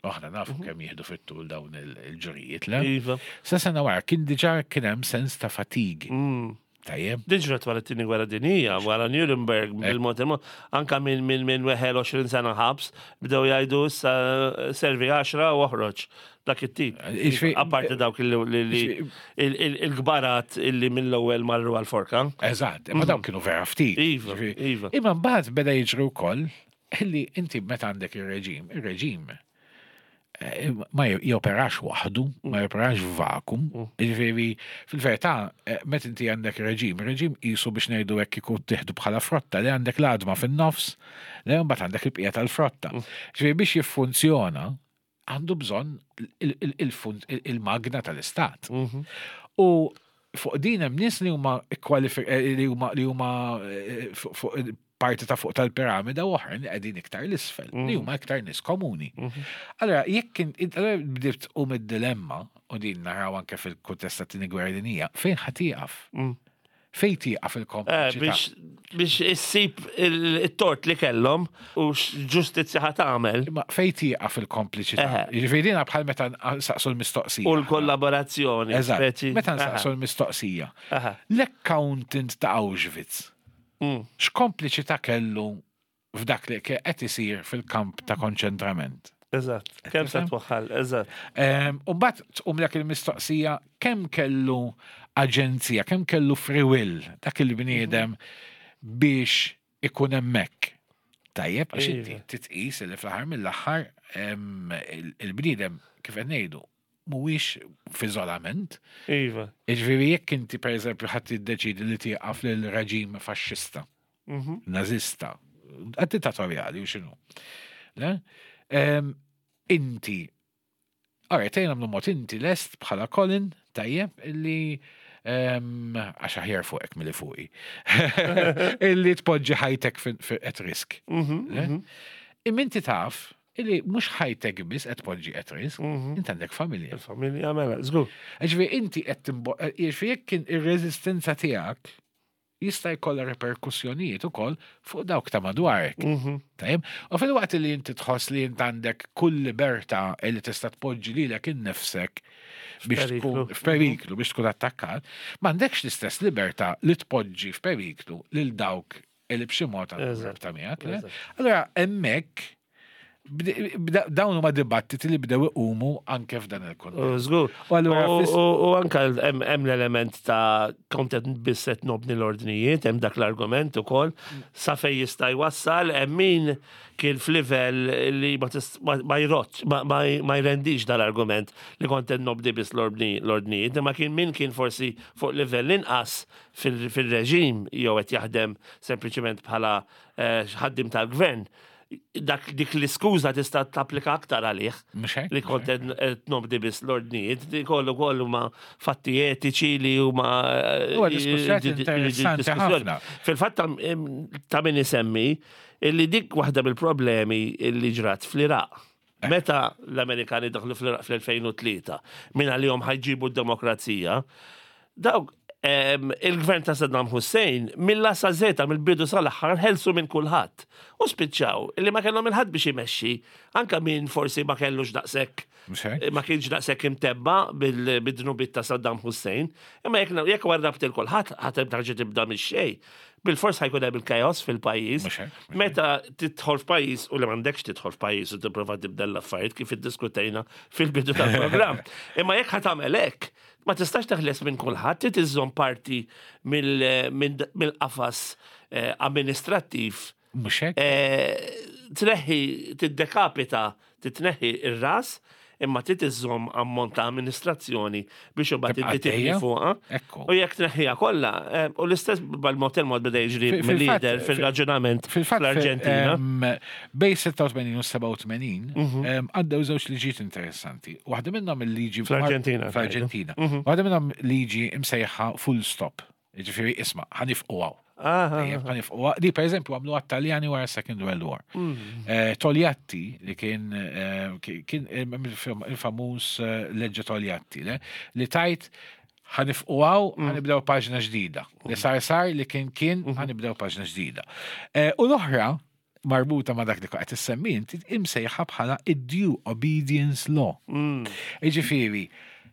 aħna nafu kemm jieħdu fit-tul dawn il- il-ġurijiet, le? Iva. Sa sena wara kien diġà kien hemm sens ta' fatigue. Mm. Tajjeb. Diġra wara t-tieni gwerra dinija, wara Nuremberg, bil-mod il-mod, anka minn min, min weħel għoxrin sena ħabs, bdew jgħidu issa servi għaxra u oħroġ. Dak it-tip. Iġifieri- Apparti dawk il- li- li- il- il- il-gbarat illi mill-ewwel marru għal-forka. Eżatt, imma dawn kienu vera ftit. Iva, Ġifieri- iva. Imma mbagħad beda jiġri wkoll illi inti meta għandek ir-reġim, ir-reġim eh, ma joperax waħdu, ma joperax vakum. Ġifieri, fil-verità, eh, meta inti għandek reġim, reġim qisu biex ngħidu hekk kieku tieħdu bħala frotta li għandek l-għadma fin-nofs, li mbagħad għandek il-bqija tal-frotta. Ġifieri biex jiffunzjona għandu bżonn il- il- il-fun- il- il-magna tal-istat. U fuq din hemm nies li huma kwalifi- eh, li huma li huma eh, fuq fuq parti ta' fuq tal-piramida u oħrajn li qegħdin iktar l-isfel, li huma iktar nies komuni. Allora, jekk in- allora bdiet um id-dilemma, u din naraw anke fil-kuntest ta' tieni gwerra dinjija, fejn ħa tieqaf? Fejn tieqaf Eh, il-kompliċità? Biex biex issib il- it-tort li kellhom u x'ġustizzja ħa tagħmel Imma fejn tieqaf il-kompliċità? Eħe. Jiġifieri dina bħal meta nsaqsu l-mistoqsija. u l-kollaborazzjoni. Eżatt. speċi. Meta nsaqsu l-mistoqsija. Aha. L-accountant ta' Auschwitz, Mm. x'kompliċità kellu f'dak li qed isir fil-kamp ta' konċentrament? Eżatt. Kemm se twaħħal, eżatt. U mbagħad tqumlek il-mistoqsija kemm kellu aġenzija, kemm kellu free will dak il-bniedem biex ikun hemmhekk. Tajjeb, għax inti Iva. titqis li fl-aħħar mill-aħħar em, il- il-bniedem kif qed ngħidu mhuwiex f'iżolament. Iva. Jiġifieri jekk inti pereżempju ħadd tiddeċidi li tieqaf lil reġim faxxista, Mhm. nazista, dittatorjali u x'inhu. Le? Em, Inti, Alright, ejja nagħmlu mod inti lest bħala Colin, tajjeb, illi em, għax aħjar fuqek milli fuqi. Illi tpoġġi ħajtek fi- fi- at risk. Mhm, Le? mhm, Imma inti taf illi mhux ħajtek biss qed tpoġġi at risk, mhm. inti għandek familja. Il-familja mela, żgur. Ġifieri inti qed timbo, ġifieri jekk kien ir-reżistenza tiegħek jista' jkollha reperkussjonijiet ukoll fuq dawk ta' madwarek. Mhm. Tajjeb? U fil-waqt li inti tħoss li inti għandek kull libertà li tista' tpoġġi lilek innifsek biex tkun F'periklu. f'periklu biex tkun attakkat, m'għandekx l-istess libertà li tpoġġi f'periklu lil dawk li b'xi mod għandhom Eżatt. rabta miegħek. le? Eżatt. Allora hemmhekk bde- bda- dawn huma dibattiti li bdew iqumu anke f'dan il-kuntest. U Żgur. U allura U fis- u- u anka hemm hemm l-element ta' kont qed biss qed nobni l-ordnijiet, hemm dak l-argument ukoll, sa fejn jista' jwassal, hemm min kien f'livell li ma tis- ma ma jrottx, ma- ma ma jrendix dal-argument li kont qed nobdi biss l-ordni- l-ordnijiet, imma kien min kien forsi fuq livell inqas fil- fil-reġim jew qed jaħdem sempliċement bħala eh, ħaddim tal-gvern. Dak dik l-iskuża tista' tapplika aktar għalih Mhux hekk? li kont qed nobdi biss l-ordnijiet, di kollu kollu ma fatti etiċi li huma eh, Huwa diskussjoni di- di- di- interessanti diskussjoni. ħafna. Fil-fatt ta' em, ta' min isemmi illi dik waħda mill-problemi illi ġrat fl-Iraq. Eh. Meta l-Amerikani daħlu fl-Iraq fl-elfejn u tlieta, minn għalihom ħa jġibu d-demokrazija, dawk em, il-gvern ta' Saddam Hussein mill-A sa Z, mill-bidu sal-aħħar, ħelsu minn kulħadd. U spiċċaw illi ma kellhom il-ħadd biex imexxi, anka min forsi ma kellux daqshekk Mhux hekk? ma kienx daqshekk imtebba bil- bid-dnubiet ta' Saddam Hussein, imma jekk jekk warrabt il kulħadd ħadd tarġa' tibda mix-xejn. Bil-fors ħa jkun hemm il-kaos fil-pajjiż. Mhux hekk, mhux Meta tidħol f'pajjiż u li m'għandekx tidħol f'pajjiż u tipprova tibdel l-affarijiet kif iddiskutejna fil-bidu tal-programm. Imma jekk ħa tagħmel hekk, ma tistax teħles minn kulħadd, trid iżżomm parti mill- minn- mill-qafas eh, amministrattiv. Mhux hekk? eh, Tneħħi, tiddekapita, titneħħi ir-ras, imma trid iżżomm ammont ta' amministrazzjoni biex imbagħad Tibqa' inti tibni għaddejja? fuqha. Ekku. U jekk tneħħiha kollha, eh, u l-istess bal-mod il-mod beda jiġri Fil- mill-lider fil-fatt- fil-raġunament Fil-fatt, fl-Arġentina. em, bejn sitta u tmenin u sebgħa u tmenin Mhm. em, għaddew żewġ liġijiet interessanti. Waħda minnhom il-liġi Fl-Arġentina, Fl-Arġentina. Mhm. Waħda minnhom liġi imsejħa full stop. Ġifieri isma' ħa nieqfu hawn. Ah, Tajjeb, ħa nieqfu hawn. Di per eżempju għamlu għat-Taljani wara Second World War. Mm. Eh, Togliatti li kien eh, ki- kien il-famuż eh, leġġa Togliatti, le? Li tajt ħa nieqfu hawn, Mm. ħa nibdew paġna ġdida. Li sar sar li kien kien Mm-hmm. ħa nibdew paġna ġdida. Eh, U l-oħra marbuta ma dak li qed issemmi inti imsejħa bħala id-due obedience law. Mm. Iġifieri,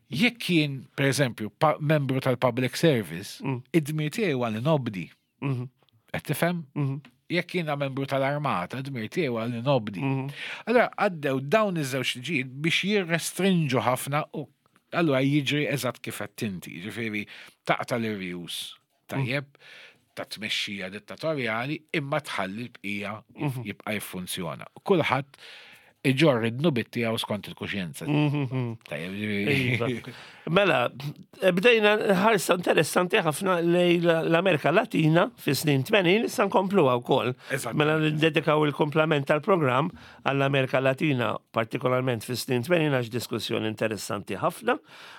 jekk kien, per eżempju, pa- membru tal-public service, Mm. id-dmir tiegħi huwa li nobdi. Mhm. Qed tifhem? Mhm. Jekk jiena membru tal-armata, dmir tiegħi huwa li nobdi. Mhm. Allora għaddew dawn iż-żewġ liġijiet biex jirrestrinġu ħafna u allura jiġri eżatt kif qed inti, ġifieri taqta' l-irjus tajjeb ta' tmexxija dittatorjali imma tħalli l-bqija jibqa' jiffunzjona. Kulħadd iġorr id-dnubiet tiegħu skont il-kuxjenza. Mhm. Tajjeb, Iva. ġifieri. Mela, bdejna ħarsa interessanti ħafna lejn l-Amerika Latina fi snin tmenin, issa nkompluha wkoll. Eżatt. Mela ndedikaw il-komplement tal-programm għall-Amerika Latina, partikolarment fi snin tmenin, għax diskussjoni interessanti ħafna.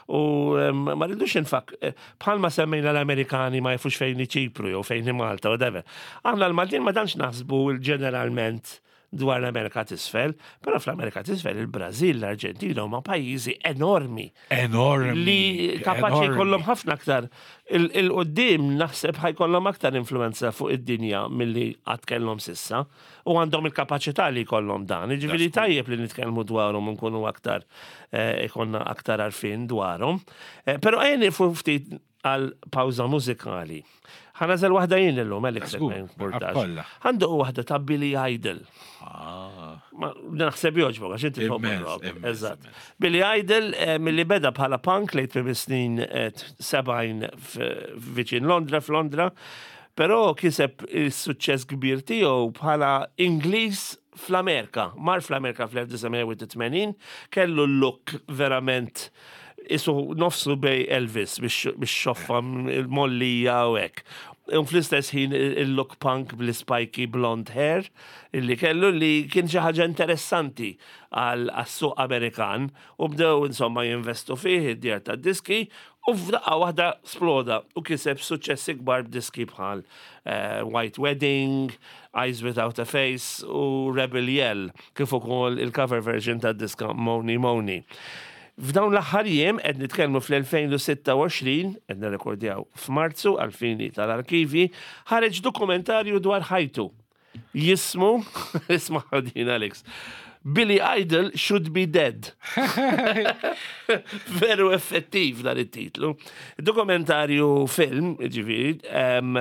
U em, ma rridux infak, eh, bħalma semmejna l-Amerikani ma jafux fejn Ċipru jew fejn Malta, whatever. Aħna l-Maltin ma tantx naħsbu ġeneralment dwar l-Amerika t'isfel, però fl-Amerika t'isfel il-Brażil, l-Arġentina huma pajjiżi enormi Enormi. li kapaċi enormi. jkollhom ħafna aktar. Il-qoddim naħseb ħa jkollhom aktar influenza fuq id-dinja milli qatt kellhom s'issa u għandhom il-kapaċità li jkollhom dan. Jiġifieri tajjeb li nitkellmu dwarhom u nkunu aktar eh, ikollna aktar għarfien dwarhom. Eh, Però ejja nieqfu ftit Għal pawża mużikali. Ħa nagħżel waħda jien illum, Alex, Żgur, ma jimportax. kollha. Ħa ndoqqu waħda ta' Billy Idol. Ah. Ma naħseb jogħġbok, għax inti tħobb Immens, rock. immens, Eżatt. immens. Billy Idol, eh, milli beda bħala punk lejn tmiem snin eh, sebgħin viċin Londra, f'Londra, però kiseb il-suċċess kbir tiegħu bħala Ingliż fl-Amerika. Mar fl-Amerika fl-elf disa' mija u tmenin, kellu l-look verament isu nofsu bejn Elvis biex xoffa il-mollija u hekk. U fl-istess ħin il-look punk bl-spiky blonde hair illi kellu, li kien xi ħaġa interessanti għal suq Amerikan, u bdew insomma jinvestu fih id-djar ta' diski u f'daqqa waħda sploda u kiseb suċċessi kbar b'diski bħal eh, White Wedding, Eyes Without a Face u Rebel Yell, kif ukoll il-cover version ta' diska Mony Mony. F'dawn l-aħħar jiem, qed nitkellmu fl-elfejn u sitta u għoxrin, qed nirrekordjaw f'Marzu għal-fini tal-arkivi, ħareġ dokumentarju dwar ħajtu. Jismu, isma' din, Alex, "Billy Idol Should Be Dead". Veru effettiv dan it-titlu. Dokumentarju film, ġifieri, em,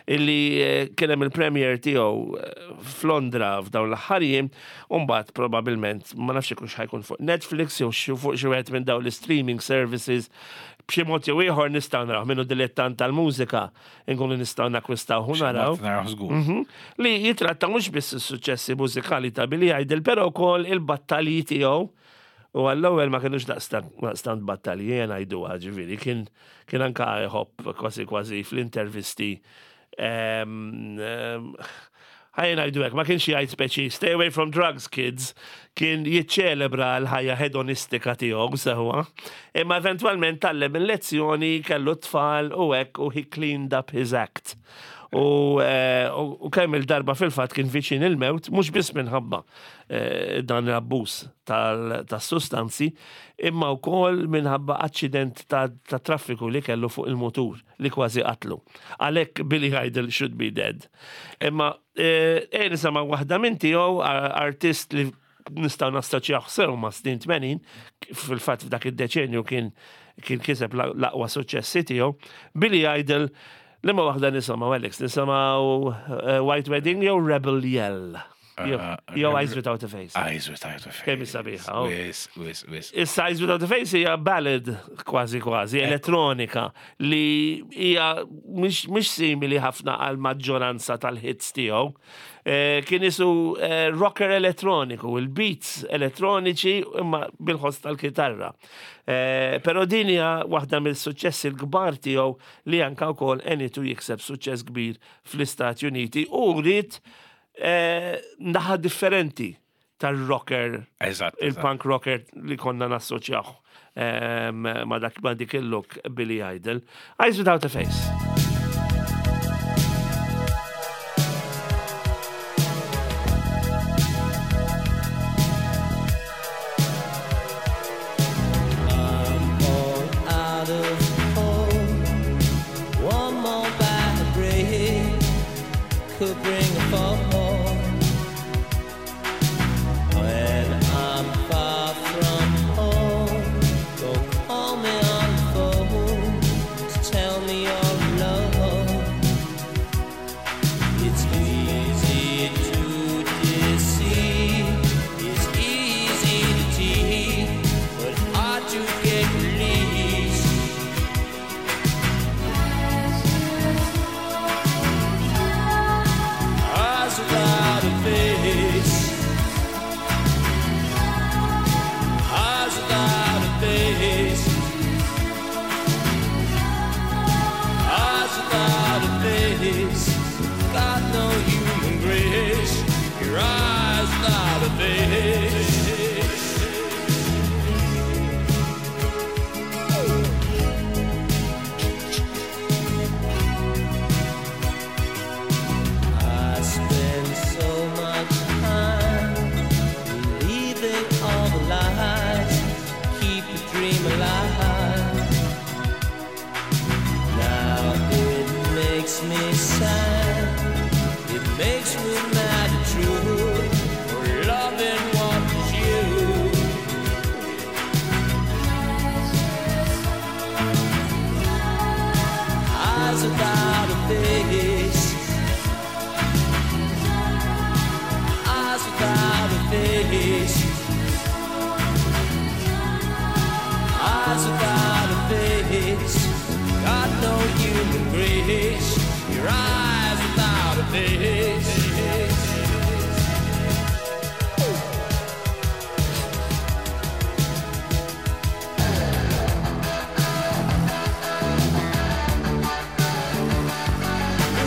illi eh, kien hemm il-premiere tiegħu eh, f'Londra f'dawn l-aħħar jiem, u mbagħad probabbilment ma nafx ikux ħa jkun fuq Netflix jew xi fuq xi wieħed minn dawn l-streaming services. B'xi mod jew ieħor nistgħu naraw minnu dilettant tal-mużika nkunu nistgħu nakkwistaw u naraw. Naraw żgur. Mhm. Li jitratta mhux biss is-suċċessi mużikali ta' Billy Idol, però wkoll il-battalji tiegħu. U għall-ewwel ma kienux daqstant battalji, jien ngħidu, ġifieri, kien kien anka jħobb kważi kważi fl-intervisti. em, em, Ħa ngħidu hekk, ma kienx jgħid speċi "stay away from drugs, kids", kien jiċċelebra l-ħajja hedonistika tiegħu sewwa. Imma eventwalment tgħallem il-lezzjoni, kellu tfal u hekk, u he cleaned up his act. U, eh, u u kemm il-darba fil-fatt kien viċin il-mewt, mhux biss minħabba eh, dan l-abbuż tas-sustanzi, imma wkoll minħabba aċċident ta', ta traffiku li kellu fuq il-motur li kważi qatlu. Għalhekk "Billy Idol Should Be Dead". Imma eh, eh nisimgħu waħda minn tiegħu, artist li nistgħu nassoċjaw sew ma' snin tmenin, fil-fatt f'dak id-deċenju kien kien kiseb l-aqwa suċċessi tiegħu. Billy Idol, liema waħda nisimgħu, Alex? Nisimgħu uh, White Wedding jew Rebel Yell? Jew Uh, jew Eyes Without a Face? Eyes Without a Face. Kemm sabiħa, oh. Wis, wis, wis. Issa Eyes Without a Face hija ballad kważi kważi, elettronika, li hija mhix mhix simili ħafna għal maġġoranza tal-hits tiegħu. Eh, Kien isu eh, rocker elettroniku, il-beats elettroniċi imma bil-ħoss tal-kitarra. Eh, Però din hija waħda mill-suċċessi l-kbar tiegħu li anka wkoll għenitu jikseb suċċess kbir fl-Istati Uniti u rrid eh, naħa differenti tal-rocker, Eżatt. eżatt. il-punk rocker li konna nassoċjaw em, ma dak ma dik il-look Billy Idol. Eyes Without a Face. All out of hope. One more bad break could bring a fall. When I'm far from home, don't call me on the phone to tell me you're alone. It's easy to deceive, it's easy to tease, but hard to get released. Eyes without a face. Eyes without a face. Eyes without a face. Got no human grace. Your eyes without a face. I spend so much time believing all the lies, keep the dream alive. Now it makes me sad, it makes me mad at truth for loving what is you. face. Eyes without a face. Eyes without a face. Got no human grace. Your eyes without a face.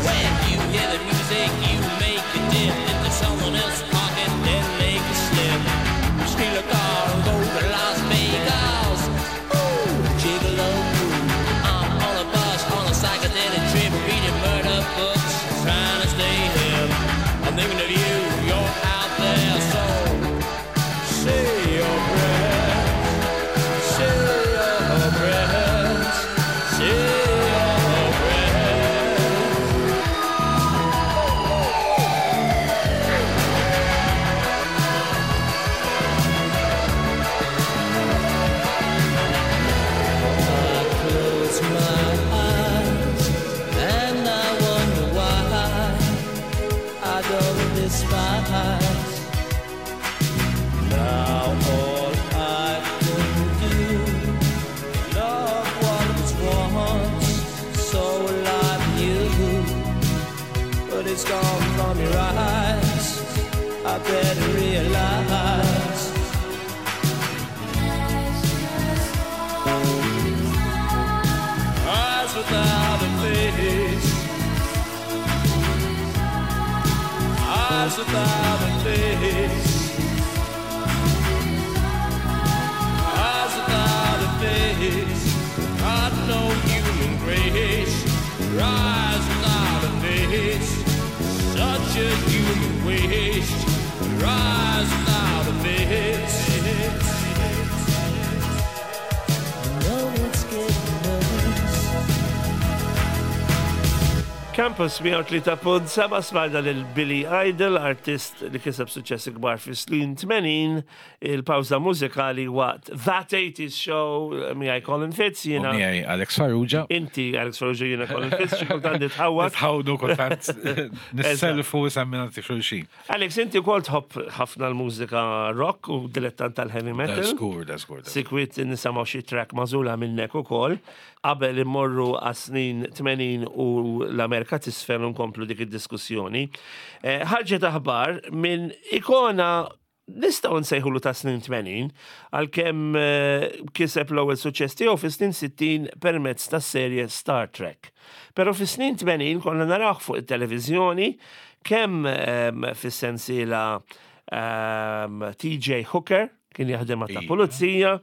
When you hear the music, you make a dip into someone else's pocket, then make a slip. Steal a car and go to Las Vegas. Ooh, gigolo. I'm on a bus, on a psychedelic trip, reading murder books, trying to stay hip. I'm thinking of you, you're out there, so say your prayers, say your prayers, say your prayers. I close my eyes and I wonder why I don't despise. Now all I can do, love what was once so alive in you, but it's gone from your eyes. I better realize. Eyes without a face. Eyes without a face. Eyes without a face. Got no human grace. Eyes without a face. Such a human waste. Eyes without a face. No, it's getting worse. Campus mija u tlieta punt seba', smajna lil Billy Idol, artist li kiseb suċċessi kbar fi snin tmenin, il-pawza mużikali waqt That eighties Show, miegħi Colin Fitz, U jiena. miegħi Alex Farrugia. Inti Alex Farrugia, jiena Colin Fitz, xi kultant nitħawwad. Nitħawdu kultant, nisselfu semmina xulxin. Alex, inti wkoll tħobb ħafna l-mużika rock u dilettant tal-heavy Da metal. żgur, da żgur. da Sikwit nisimgħu xi track magħżula minnek ukoll. Qabel immorru għas-snin tmenin u l-Amerika t'isfel u nkomplu dik id-diskussjoni. Eh, Ħarġet aħbar minn ikona nistgħu nsejħulu ta' snin tmenin, għalkemm eh, kiseb l-ewwel suċċess tiegħu fi snin sittin permezz tas-serje Star Trek. Però fi snin tmenin konna narawh fuq it-televiżjoni kemm em, fis-sensiela um, T J Hooker, kien jaħdem ta' Iva. pulizija,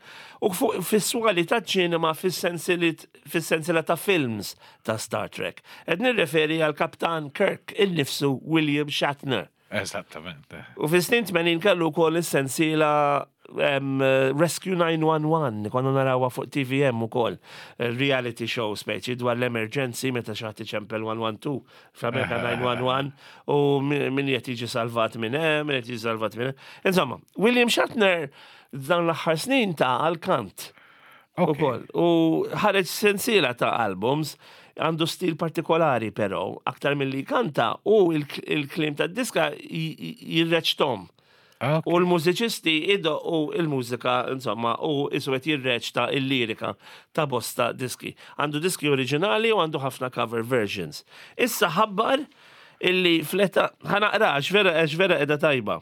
u fuq fis-swali ta' ċinema fis-sensiela ta' films ta' Star Trek. Qed nirreferi għal Kaptan Kirk innifsu, William Shatner. Eżattament. U fis-snin tmenin kellu wkoll is-sensiela um, Rescue nine one one, konna narawha fuq T V M ukoll, reality show speċi dwar l-emergency meta xi ħadd iċempel one one two, fl-Amerika nine one one, u min min qed jiġi salvat minn hemm, min qed jiġi salvat minn hemm. Insomma, William Shatner dan l-aħħar snin ta għal-kant Ok. ukoll. U ħareġ sensiela ta' albums, għandu stil partikolari però, aktar mill-li kanta u il-kliem ta' diska jirreċtom. Ok. U l-mużiċisti idoqqu il-mużika, insomma, u isu qed jirreċta il-lirika ta' bosta diski. Għandu diski oriġinali u għandu ħafna cover versions. Issa ħabbar illi fl-età, ħa naqra, għax vera, għax vera edha tajba.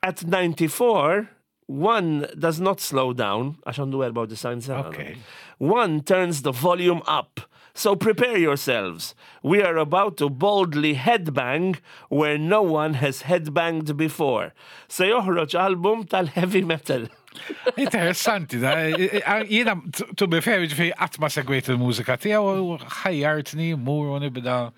At ninety-four, one does not slow down, għax għandu dersgħin sena. Okay. One turns the volume up. So prepare yourselves. We are about to boldly headbang where no one has headbanged before. Se joħroġ album tal-heavy metal. Interessanti, da. Jiena, to be fair, ġifieri qatt ma segwejt il-mużika tiegħu u ħajjartni mur u nibda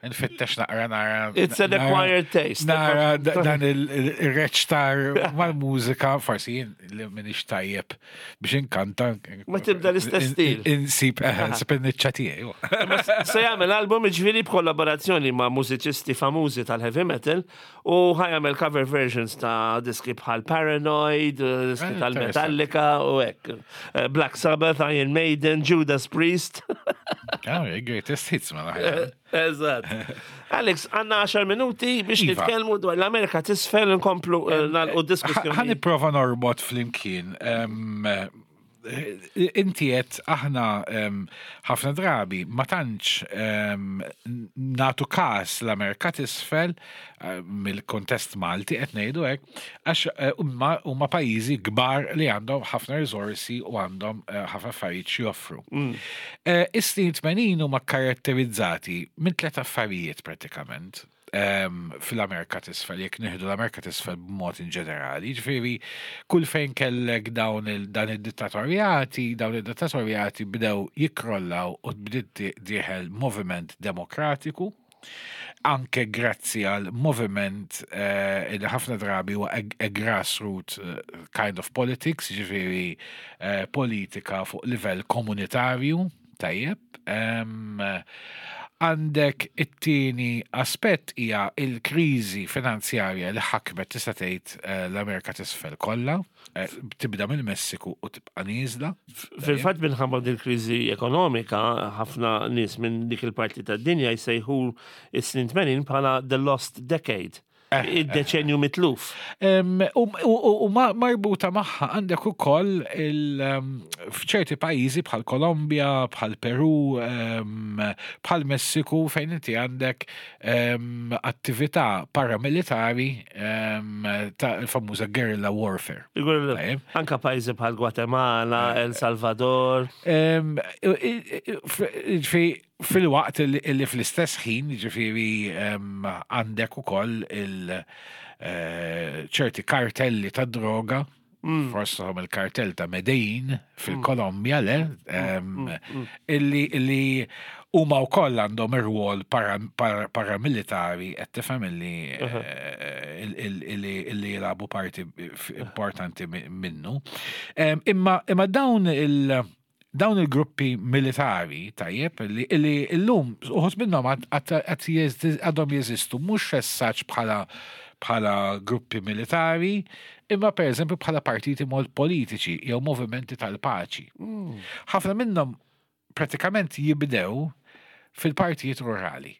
nfittex naqra nara. It's an nara- acquired taste. Nara da- dan il-reċtar mal-mużika, forsi jien li minix tajjeb biex inkanta. Ma tibda l-istess stil. Insib, eh, insib il-niċċa tiegħi. Se jagħmel album ġifieri b'kollaborazzjoni ma' mużiċisti famużi tal-heavy metal u ħa jagħmel cover versions ta' diski bħal Paranoid, diski Ah, tal-Metallica u hekk. Eh, Black Sabbath, Iron Maiden, Judas Priest. Ah, greatest hits ma naħjar. Eżatt. Alex, għandna għaxar minuti biex Iva. nitkellmu dwar l-Amerika t'Isfel, nkomplu eh, nagħlqu Ħa diskussjoni. nipprova norbot flimkien. Em, eh, Inti qed aħna em, ħafna drabi ma tantx em, nagħtu kas l-Amerika t'Isfel eh, mill-kontest Malti qed ngħidu hekk, għax eh, huma huma pajjiżi kbar li għandhom ħafna riżorsi u għandhom eh, ħafna affarijiet xi joffru. Eh, Is-snin tmenin huma karatterizzati minn tliet affarijiet prattikament em, fil-Amerika t'Isfel, jekk nieħdu l-Amerika t'Isfel b'mod in ġenerali. Ġifieri, kull fejn kellek dawn il dan id-dittatorjati, dawn id-dittatorjati bdew jikkrollaw u bdiet dieħel moviment demokratiku, anke grazzi għal moviment eh, li ħafna drabi huwa a, a grassroot eh, kind of politics, ġifieri eh, politika fuq livell komunitarju, tajjeb. Em, Għandek it-tieni aspett hija il-kriżi finanzjarja li ħakmet, tista' tgħid, eh, l-Amerika t'Isfel kollha, eh, tibda mill-Messiku u tibqa' nieżla. Fil-fatt, minħabba din kriżi ekonomika, ħafna nies minn dik il-parti tad-dinja jsejħu is-snin tmenin bħala the lost decade. Id-deċenju mitluf. Em, U u- u ma- marbuta magħha għandek ukoll il, em, f'ċerti pajjiżi bħal Kolombja, bħal Peru, em, bħal Messiku, fejn inti għandek em, attività paramilitari em, ta' il-famuża guerrilla warfare. Tajjeb. Anka pajjiżi bħal Guatemala, El Salvador. Em, i- i- i- f- fi- Fil-waqt li li fl-istess ħin, ġifieri, em, għandek ukoll il eh, ċerti kartelli ta' droga, fosthom il-kartell ta' Medellin fil-Kolombja, le, em, illi illi huma wkoll għandhom ir-rwol para- para- paramilitari, qed tifhem, illi eh, il- il- illi illi jilagħbu parti importanti mi- minnu. Em, Imma imma dawn il- dawn il-gruppi militari, tajjeb, li li illum uħud minnhom għad- għad għad jeżi- għadhom jeżistu, mhux essaċ bħala bħala gruppi militari, imma per eżempju bħala partiti mod politiċi jew movimenti tal-paċi. Ħafna minnhom pratikament jibdew fil-partijiet rurali.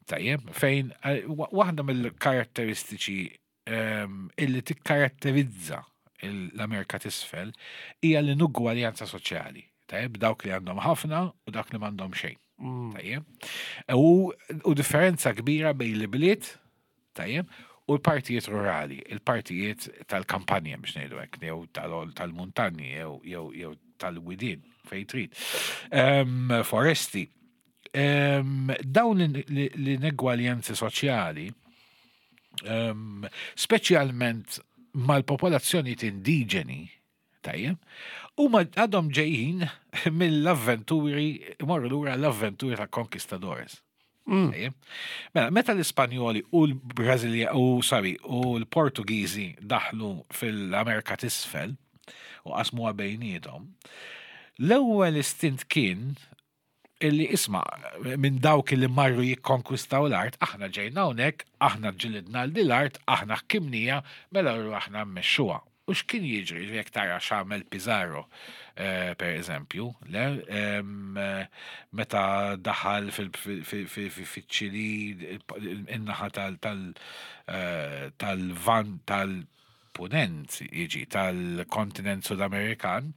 Tajjeb, fejn eh, wa- waħda mill-karatteristiċi ehm, illi tikkaratterizza il- l-Amerika t'Isfel hija l-inugwaljanza soċjali. Tajjeb, dawk li għandhom ħafna u dawk li m'għandhom xejn. Tajjeb. U, u differenza kbira bejn l-bliet, tajjeb, u l-partijiet rurali, il-partijiet tal-kampanja biex ngħidu hekk, jew tal- tal-muntanji jew jew jew tal-widien fejn trid. Em, foresti. Em, dawn l-inegwaljanzi soċjali, em, speċjalment mal-popolazzjonijiet indiġeni, tajjeb, huma għadhom ġejjin mill-avventuri, imorru lura l-avventuri ta' conquistadores. Tajjeb. Mela, meta l-Ispanjoli u l-Brażilja u, sorry, u l-Portugiżi daħlu fil-Amerika t'Isfel u qasmuha bejniethom, l-ewwel istint kien illi, isma', minn dawk illi marru jikkonkwistaw l-art, aħna ġejna hawnhekk, aħna ġilidna l l-art, aħna ħkimnieha, mela rru aħna mmexxuha. U x'kien jiġri jekk tara x'għamel Pizarro, eh, per eżempju, le, em, eh, meta daħal fil-Ċili, in-naħa tal- tal- eh, tal-van tal-punent, jiġi tal-kontinent Sud-Amerikan,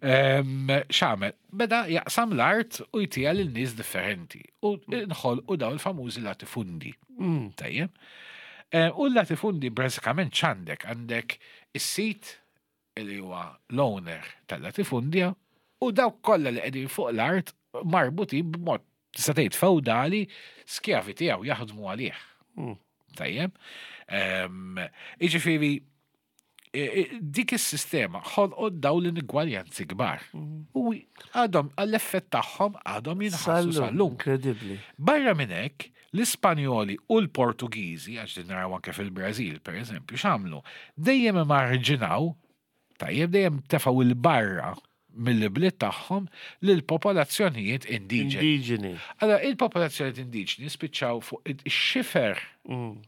em, x'għamel? Beda jaqsam l-art u jtiha lil nies differenti. U nħolqu daw il-famużi latifundi. Tajjeb. Eh, U l-latifundi bażikament x'għandek? Għandek is-sit li huwa l-owner tal-latifundja u dawk kollha li qegħdin fuq l-art marbutin b'mod, tista' tgħid, feudali, skjavi tiegħu jaħdmu għalih. Tajjeb. Em, Jiġifieri i- i- dik is-sistema ħolqot dawn l-inigwaljanzi kbar. U għadhom għall-effett tagħhom għadhom jinħassu sal-lum. Incredibly. Barra minn hekk, l-Ispanjoli u l-Portugiżi, għax din naraw anke fil-Brażil, per eżempju, x'għamlu? Dejjem immarġinaw, tajjeb, dejjem tefgħu 'l barra mill-bliet tagħhom lil popolazzjonijiet indiġeni. Indiġeni. Allora, il-popolazzjonijiet indiġeni spiċċaw fuq ix-xifer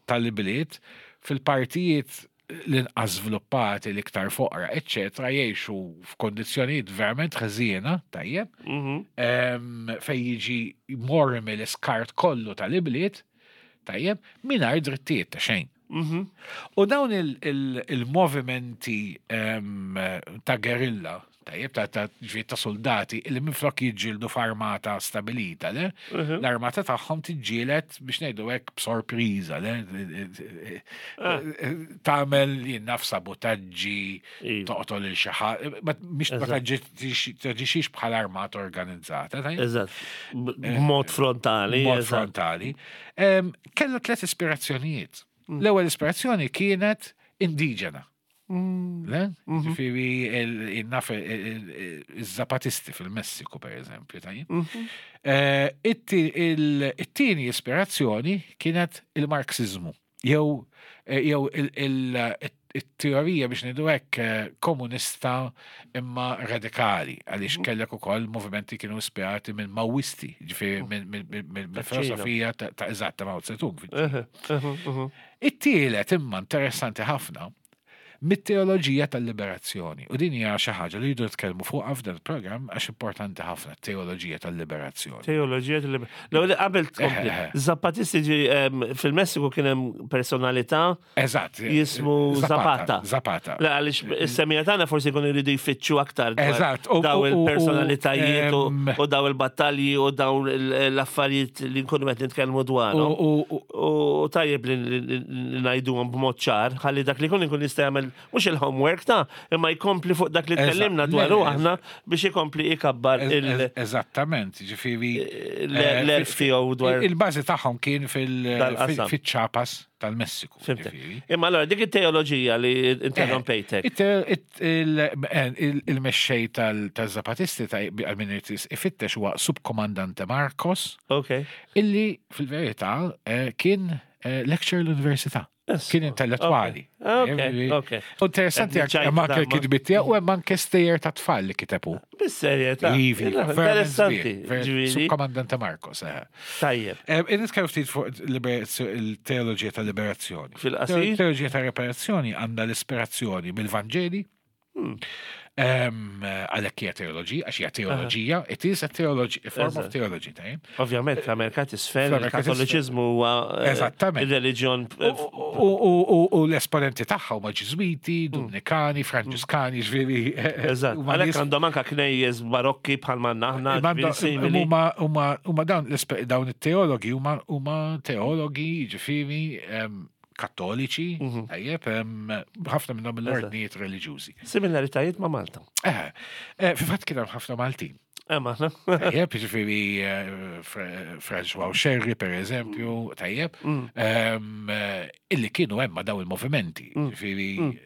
tal-bliet fil-partijiet l-inqas żviluppati, l-iktar foqra, eċċetera, jgħixu f'kondizzjonijiet verament ħżiena, tajjeb, Mhm. em, fej jiġi mormi l-iskart kollu tal-ibliet, tajjeb, mingħajr drittijiet ta' xejn. Mhm. U dawn il- il- il-movimenti em, ta' gerilla, tajjeb, ta' ta' ġifieri ta' soldati, li minflok jiġġieldu f'armata stabilita, le? L-armata tagħhom tiġġieled biex ngħidu hekk b'sorpriża, le? Tagħmel jien naf sabotaġġi, Iva. toqtol il xi ħadd, ma mhix ma taġixxix taġixxix bħala armata organizzata, tajjeb? Eżatt. B- B'mod frontali. Mod eżatt. frontali. Em, Kella tliet ispirazzjonijiet. L-ewwel ispirazzjoni kienet indiġena. Le? Ġifieri il- il-naf il-Zapatisti fil-Messiku, per eżempju, tajjeb. Eh, it-ti- il- It-tieni ispirazzjoni kienet il-Marxizmu. Jew eh, jew il- il- it-teorija biex ngħidu hekk eh, komunista imma radikali, għaliex kellek ukoll movimenti kienu ispirati minn Maoisti, ġifieri minn minn- minn- minn Ta' Ċina. filosofija ta' ta' eżatt ta' Mao Zedong. Mhm, mhm, mhm. It-tielet imma interessanti ħafna mit-teoloġija tal-liberazzjoni. U din hija xi ħaġa li jridu nitkellmu fuqha f'dan il-programm għax importanti ħafna t-teoloġija tal-liberazzjoni. Teoloġija tal L-ewwel qabel tkompli. Eh, eh. Zapatisti ġi, em, fil-Messiku kien hemm personalità Eżatt. jismu Zapata. Zapata. Le, għaliex is-semija tagħna forsi jkunu jridu jfittxu aktar dwar Eżatt, u- daw u- u- il-personalitajiet u em, u daw il-battalji u daw il- l-affarijiet li nkunu qed nitkellmu U, dwarhom. u, u, U tajjeb li li- li ngħiduhom b'mod ċar, ħalli dak li jkun ikun jista' jagħmel mhux il-homework ta' imma jkompli fuq dak li Eżatt. tkellimna Le, dwaru le, aħna biex ikompli ikabbar il- ez- Eżattament, ġifieri. l- eh, l-erf tiegħu dwar Il-bażi tagħhom kien fil- Dal-qasam. fil-ċapas tal-Messiku. Fimtek. ġifieri. Imma allora dik it-teoloġija li interrompejtek. It- it- il- il- Il-mexxej tal-Zapatisti ta' għal-min irid ifittex huwa subkomandante Marcos, Ok. illi fil-verità eh, kien eh, lecturer l-università. Yes. Kien intellettwali. Ok, Eh, ok. U Interessanti Qed anke hemm anke niċċajta l-kitbiet tiegħu u hemm anke stejjer ta' tfal li kitebu. Bis-serjetà. Ivi, Interessanti. Ġifieri, Subkomandante Marcos. eh. Tajjeb. Eh, Nitkellmu ftit fuq liberazio- il-teoloġija tal-liberazzjoni. Fil-qasir? Teoloġija tal-liberazzjoni għandha l-ispirazzjoni mill-Vanġeli. Hmm. Em, Għalhekk hija teoloġija, għax hija teoloġija, it is a theology, a form of Eżatt. theology, tajjeb. Ovvjament, fl-Amerika t'isfel, Fl-Amerika t'isfel. il-Kattoliċiżmu huwa eh, Eżattament. il-reliġjon eh, U- U u- u l-esponenti tagħha huma Ġiżwiti, Dominikani, Franġiskani, ġifieri. Eżatt. huma Għalhekk nies- għandhom anka knejjes barokki bħal manna aħna, Imma ġifieri simili. Huma huma huma dawn l-espe- dawn it-teologi huma huma teologi ġifieri em, kattoliċi, tajjeb, em, ħafna minnhom mill-ordnijiet reliġjużi. Similaritajiet ma' Malta. Eh, eh, Fi fatt kien hemm ħafna Maltin. Eh, maħna. Tajjeb, ġifieri eh, Fra- François Scerri, per eżempju, tajjeb, em, eh, illi kienu hemm ma' daw il-movimenti, ġifieri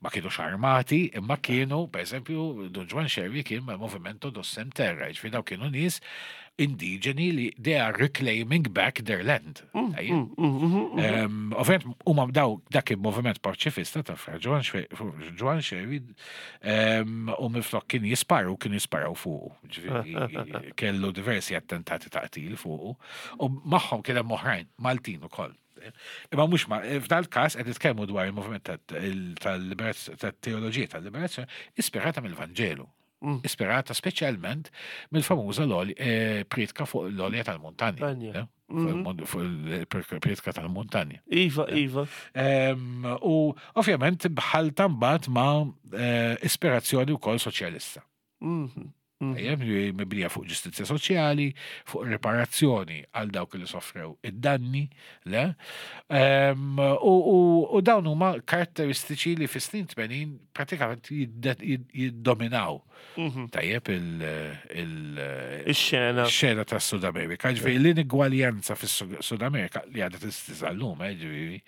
ma kienux armati, imma kienu, per eżempju, Don Juan Scerri kien ma' Movimento dos Sem Terra, ġifieri daw kienu nies indiġeni li they are reclaiming back their land. Tajjeb. Em, Ovvijament, huma daw dak il-moviment paċifista ta' Fra Ġwann Ġwann Xerri em, u minflok kien jisparu, kien jisparaw fuqu. Ġifieri, Kellu diversi attentati ta' qtil fuqu. U magħhom kien hemm oħrajn, Maltin ukoll. Imma mhux ma, f'dal każ qed nitkellmu dwar il-moviment tal-liberazzjoni tat-teoloġija tal-liberazzjoni ispirata mill-Vanġelu. Ispirata speċjalment mill-famuża l priedka fuq l-olja tal-muntanja. Tanja. eh? Fuq il-mon- Fuq il-priedka tal-muntanja. Iva, iva. Em, U ovvjament bħal mbagħad ma' eh, ispirazzjoni wkoll soċjalista. Mhm. Ejjem, li mibnija fuq ġustizzja soċjali, fuq riparazzjoni għal dawk li soffrew id-danni, le? Em, U, u, u dawn huma karatteristiċi li fis-snin tmenin pratikament jidde- jid- jiddominaw. Tajjeb il- il- Ix-xena. xena ta' Sud Amerika. Ġifieri l-inigwaljanza fis-Sud Amerika li għadha tistizallum, eh, ġifieri.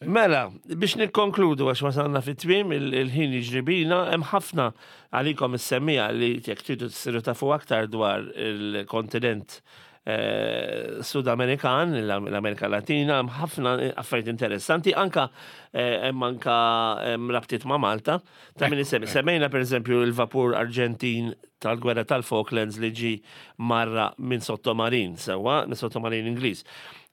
Mela, biex nikkonkludu għax wasalna fit-tmiem il- il-ħin jiġri bina, hemm ħafna għalikom is-semmija li jekk tridu tsiru tafu aktar dwar il-kontinent eh, Sud-Amerikan, l-Amerika Latina, hemm ħafna affarijiet interessanti, anka eh, hemm anka hemm rabtiet ma' Malta. Ta' min isemmi, semmejna pereżempju il-vapur Arġentin tal-gwerra tal-Falklands li ġi marra minn sottomarin, sewwa, minn sottomarin Ingliż.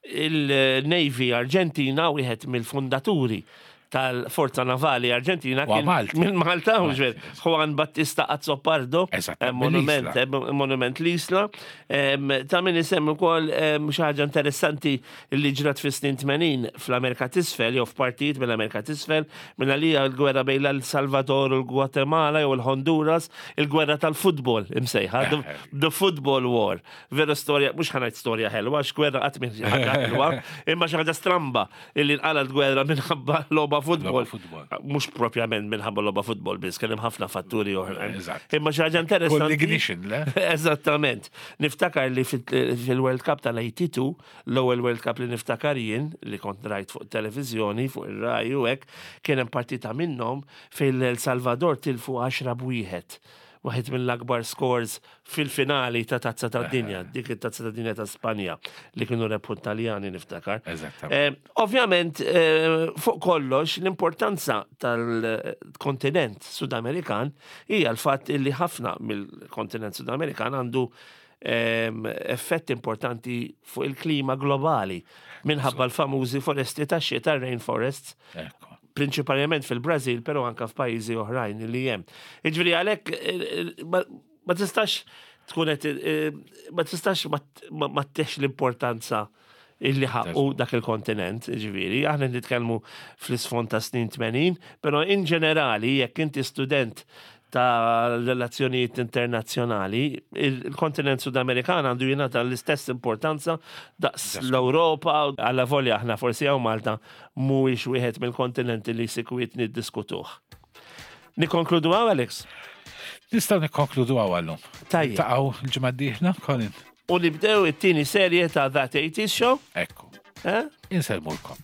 Il-Navy Arġentina wieħed mill-fundaturi tal-Forza Navali Arġentina Huwa kien Malti. minn Malta, mhux ver, Juan Battista Azzopardo, Eżatt, eh, monument, mill-Isla. eh, monument l-Isla. Em, Ta' min isemmi wkoll em, xi ħaġa interessanti li ġrat fis-snin tmenin fl-Amerika t'Isfel jew f'partijiet mill-Amerika t'Isfel, minn għalija l-gwerra bejn El Salvador u l-Guatemala jew il-Honduras, il-gwerra tal-futbol imsejħa, the, the football war. Veru storja, mhux ħa ngħid storja ħelwa, għax gwerra qatt mhi xi ħaġa ħelwa, imma xi ħaġa stramba illi nqalgħet gwerra minħabba logħba futbol. Logħba futbol. Mhux propjament minħabba logħba futbol biss, kien hemm ħafna fatturi oħrajn. Eżatt. Imma xi ħaġa interessanti. Kull ignition, le? Eżattament. Niftakar li fil- fil-World Cup tal-tmenin u tmenin, l-ewwel World Cup li niftakar jien, li kont rajt fuq televizjoni, fuq ir-Rai u hekk, kien hemm partita minnhom fejn El Salvador tilfu għaxra b'wieħed. Waħed mill-akbar scores fil-finali ta' Tazza ta' Dinja, dik it-Tazza ta' Dinja ta' Spanja li kienu rebħu Taljani, niftakar. Eżattament. Eh, ovvjament, eh, fuq kollox, l-importanza tal-kontinent Sudamerikan hija l-fatt li ħafna mill-kontinent Sudamerikan għandu em, effett importanti fuq il-klima globali minħabba l-famużi foresti ta' xita, rainforests, Ekku. prinċipalment fil-Brazil, pero anka f'pajjiżi oħrajn li hemm. Jiġifieri għalhekk eh, eh, ma ma tistax tkun qed eh, ma tistax ma ma- ma ttex l-importanza illi ħaqqu dak il-kontinent, ġifieri, aħna nitkellmu fl-isfond ta' snin tmenin, pero in ġenerali, jekk inti student ta' relazzjonijiet internazzjonali, il-kontinent Sudamerikan għandu jingħata l-istess importanza daqs l-Ewropa, għalla volja aħna forsi hawn Malta mhuwiex wieħed mill-kontinenti li sikwit niddiskutuh. Nikkonkludu hawn, Alex? Nistgħu nikkonkludu hawn għallum. Tajjeb. Taqgħu l-ġimgħa d-dieħla, Colin. U nibdew it-tieni serje ta' That eighties Show. Ekku. Eh? Insellmulkom.